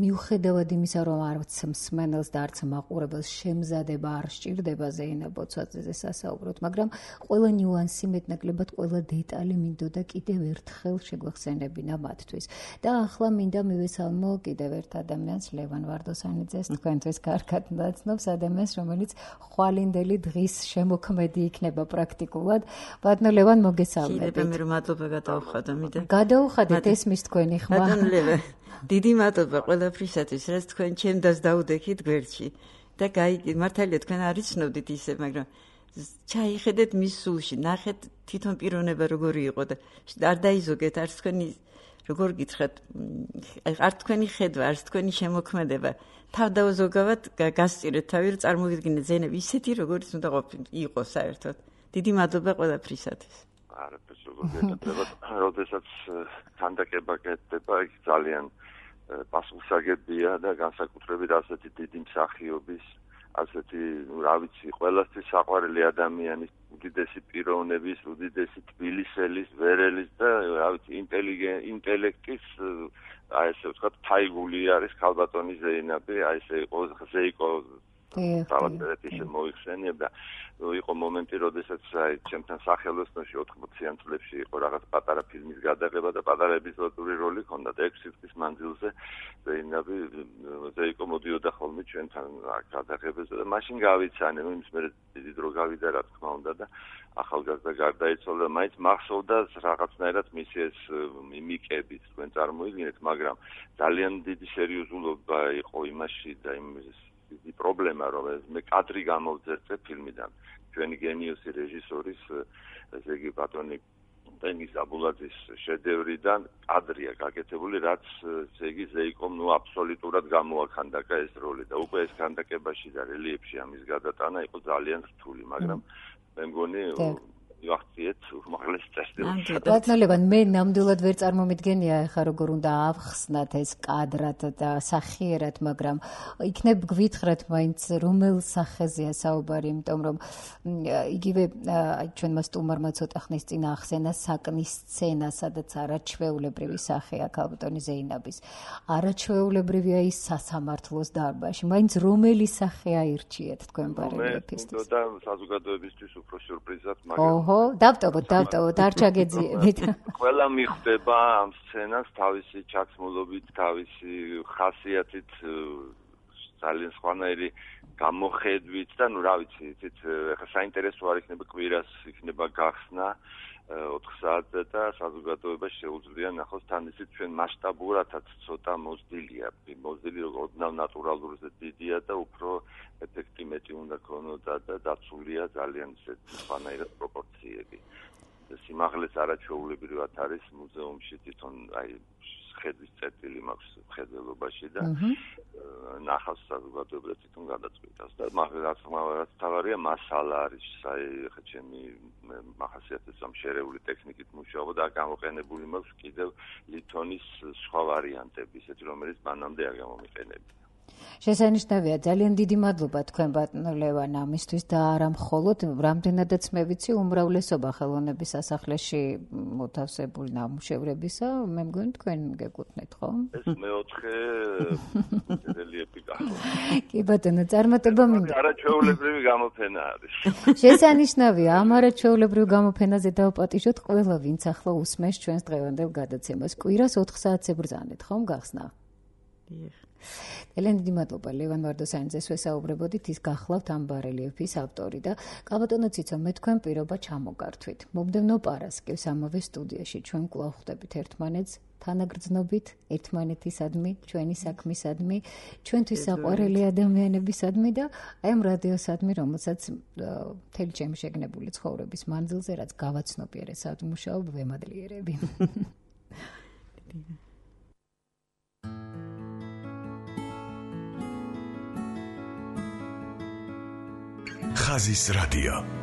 მიუხედავად იმისა, რომ არც მსმენელს და არც მაყურებელს შემზადება არ სჭირდება ზეინა ბოცვაძეზე სასაუბროთ, მაგრამ ყველა ნიუანსი მეტნაკლებად ყველა დეტალი მინდოდა კიდევ ერთხელ შეგვახსენებინა მათთვის. და ახლა მინდა მივესალმო კიდევ ერთ ადამიანს, ლევან ვარდოსანიძეს, თქვენთვის კარგად ნაცნობს ადამიანს, რომელიც ხვალინდელი დღის შემოქმედი იქნება პრაქტიკულად. ბატონო ლევან, მოგესალმებით. კიდევ მე რომ მადლობა გადაუხადო, მინდა. გადაუხადეთ ესმის თქვენი ხმა. ბატონო ლევან, დიდი მადლობა ყველაფრისათვის, რაც თქვენ ჩემდას დაუდექით გვერდში. და გაიგე, მართალია თქვენ არ იცნობდით ისე, მაგრამ ჩაიხედეთ მის სულში, ნახეთ თვითონ პიროვნება როგორი იყო და არ დაიზოგეთ არც თქვენი როგორ გითხრათ, არ თქვენი ხედვა, არც თქვენი შემოქმედება. თავდაუზოგავად გასწირეთ თავი, რომ წარმოვიდგინეთ ზეინები ისეთი, როგორც უნდა ყოფილიყო საერთოდ. დიდი მადლობა ყველაფრისათვის. არაფერს როგორ გეკეთება, როდესაც ქანდაკება კეთდება, იქ ძალიან პასუხისმგებია და განსაკუთრებით ასეთი დიდი მსახიობის, ასეთი, რა ვიცი, ყველასთვის საყვარელი ადამიანის, უდიდესი პიროვნების, უდიდესი თბილისელის, ვერელის და რა ვიცი, ინტელექტის, აი ესე ვთქვათ, თაიგული არის ქალბატონი ზეინაბი, აი ესე იყო ზეიკო თავად ისე მოიხსენიებდა. იყო მომენტი, როდესაც აი ჩემთან სახელოსნოში ოთხმოციან წლებში იყო რაღაც პატარა ფილმის გადაღება და პატარა ეპიზოდური როლი ჰქონდა და ექვსი წლის მანძილზე ზეინაბი ზეიკო მოდიოდა ხოლმე ჩვენთან გადაღებაზე და მაშინ გავიცანე, იმის მერე დიდი დრო გავიდა რა თქმა უნდა და ახალგაზრდა გარდაიცვალა, მაინც მახსოვდა რაღაცნაირად მისი ეს მიმიკებით, თქვენ წარმოიდგინეთ, მაგრამ ძალიან დიდი სერიოზულობა იყო იმაში და იმ დიდი პრობლემა, რომ მე კადრი გამოვძერწე ფილმიდან. ჩვენი გენიოსი რეჟისორის, ესე იგი ბატონი ტენგიზ აბულაძის შედევრიდან კადრია გაკეთებული, რაც ესე იგი ზეიკომ ნუ აბსოლუტურად გამოაქანდაკა ეს როლი და უკვე ეს ქანდაკებაში და რელიეფში ამის გადატანა იყო ძალიან რთული, მაგრამ მე მგონი ვახციეთ უმაღლეს წესრიგს. ბატონებან, მე ნამდვილად ვერ წარმომიდგენია ახლა როგორ უნდა ავხსნათ ეს კადრად და სახიერად, მაგრამ იქნებ გვითხრათ მაინც რომელ სახეზეა საუბარი, იმიტომ რომ იგივე ჩვენმა სტუმარმა ცოტა ხნის წინ ახსენა საკნის სცენა, სადაც არაჩვეულებრივი სახეა ქალბატონი ზეინაბის. არაჩვეულებრივია ის სასამართლოს დარბაზში. მაინც რომელი სახე აირჩიეთ თქვენ ბარელიეფისთვის? და საზოგადოებისთვის უფრო სიურპრიზად, მაგრამ დავტოვოთ, დავტოვოთ, არ ჩაგეძიებით. ყველა მიხვდება ამ სცენას თავისი ჩაცმულობით, თავისი ხასიათით, ძალიან სხვანაირი გამოხედვით და ნუ რა ვიცი, იცით, ახლა საინტერესო არ იქნება კვირას, იქნება გახსნა ოთხ საათზე და საზოგადოებას შეუძლია ნახოს თან ისიც ჩვენ მასშტაბურადაც ცოტა მოზრდილია, მოზრდილი ოდნავ ნატურალურზე დიდია და უფრო ეფექტი მეტი უნდა ქონოდა და დაცულია ძალიან სხვანაირად პროპორციები. სიმაღლეც არაჩვეულებრივად არის მუზეუმში თვითონ აი ხედვის წერტილი მაქვს მხედველობაში და ნახავს საზოგადოებას თვითონ გადაწყვეტას და მაგრამ რაც თავარია მასალა არის აი ხა ჩემი მახასიათებს ამ შერეული ტექნიკით მუშაობა და გამოყენებული მაქვს კიდევ ლითონის სხვა ვარიანტები, ისეთი რომელიც მანამდე არ გამომიყენებია. შესანიშნავია, ძალიან დიდი მადლობა თქვენ ბატონო ლევან ამისთვის და არა მხოლოდ, რამდენადაც მე ვიცი, უმრავლესობა ხელოვნების სასახლეში მოთავსებული ნამუშევრებისა, მე მგონი თქვენ გეკუთვნით, ხო? ეს მეოთხე რელიეფი გახდა. კი ბატონო, წარმატება მინდა. არაჩვეულებრივი გამოფენა არის. შესანიშნავია, ამ არაჩვეულებრივ გამოფენაზე დავპატიჟოთ ყველა, ვინც ახლა უსმენს ჩვენს დღევანდელ გადაცემას. კვირას ოთხ საათზე ბრძანეთ, ხომ გახსნა? დიახ. ძალიან დიდი მადლობა ლევან ვარდოსანიძეს ვესაუბრებოდით, ის გახლავთ ამ ბარელიეფის ავტორი და კაბატონო ციცო, მე თქვენ პირობა ჩამოგართვით. მომდევნო პარასკევს ამავე სტუდიაში ჩვენ კვლავ ხვდებით ერთმანეთს თანაგრძნობით, ერთმანეთისადმი, ჩვენი საქმისადმი, ჩვენთვის საყვარელი ადამიანებისადმი და აი ამ რადიოსადმი, რომელსაც მთელი ჩემი შეგნებული ცხოვრების მანძილზე, რაც გავაცნობიერე სადმუშაობ ვემადლიერები. ხაზის რადიო.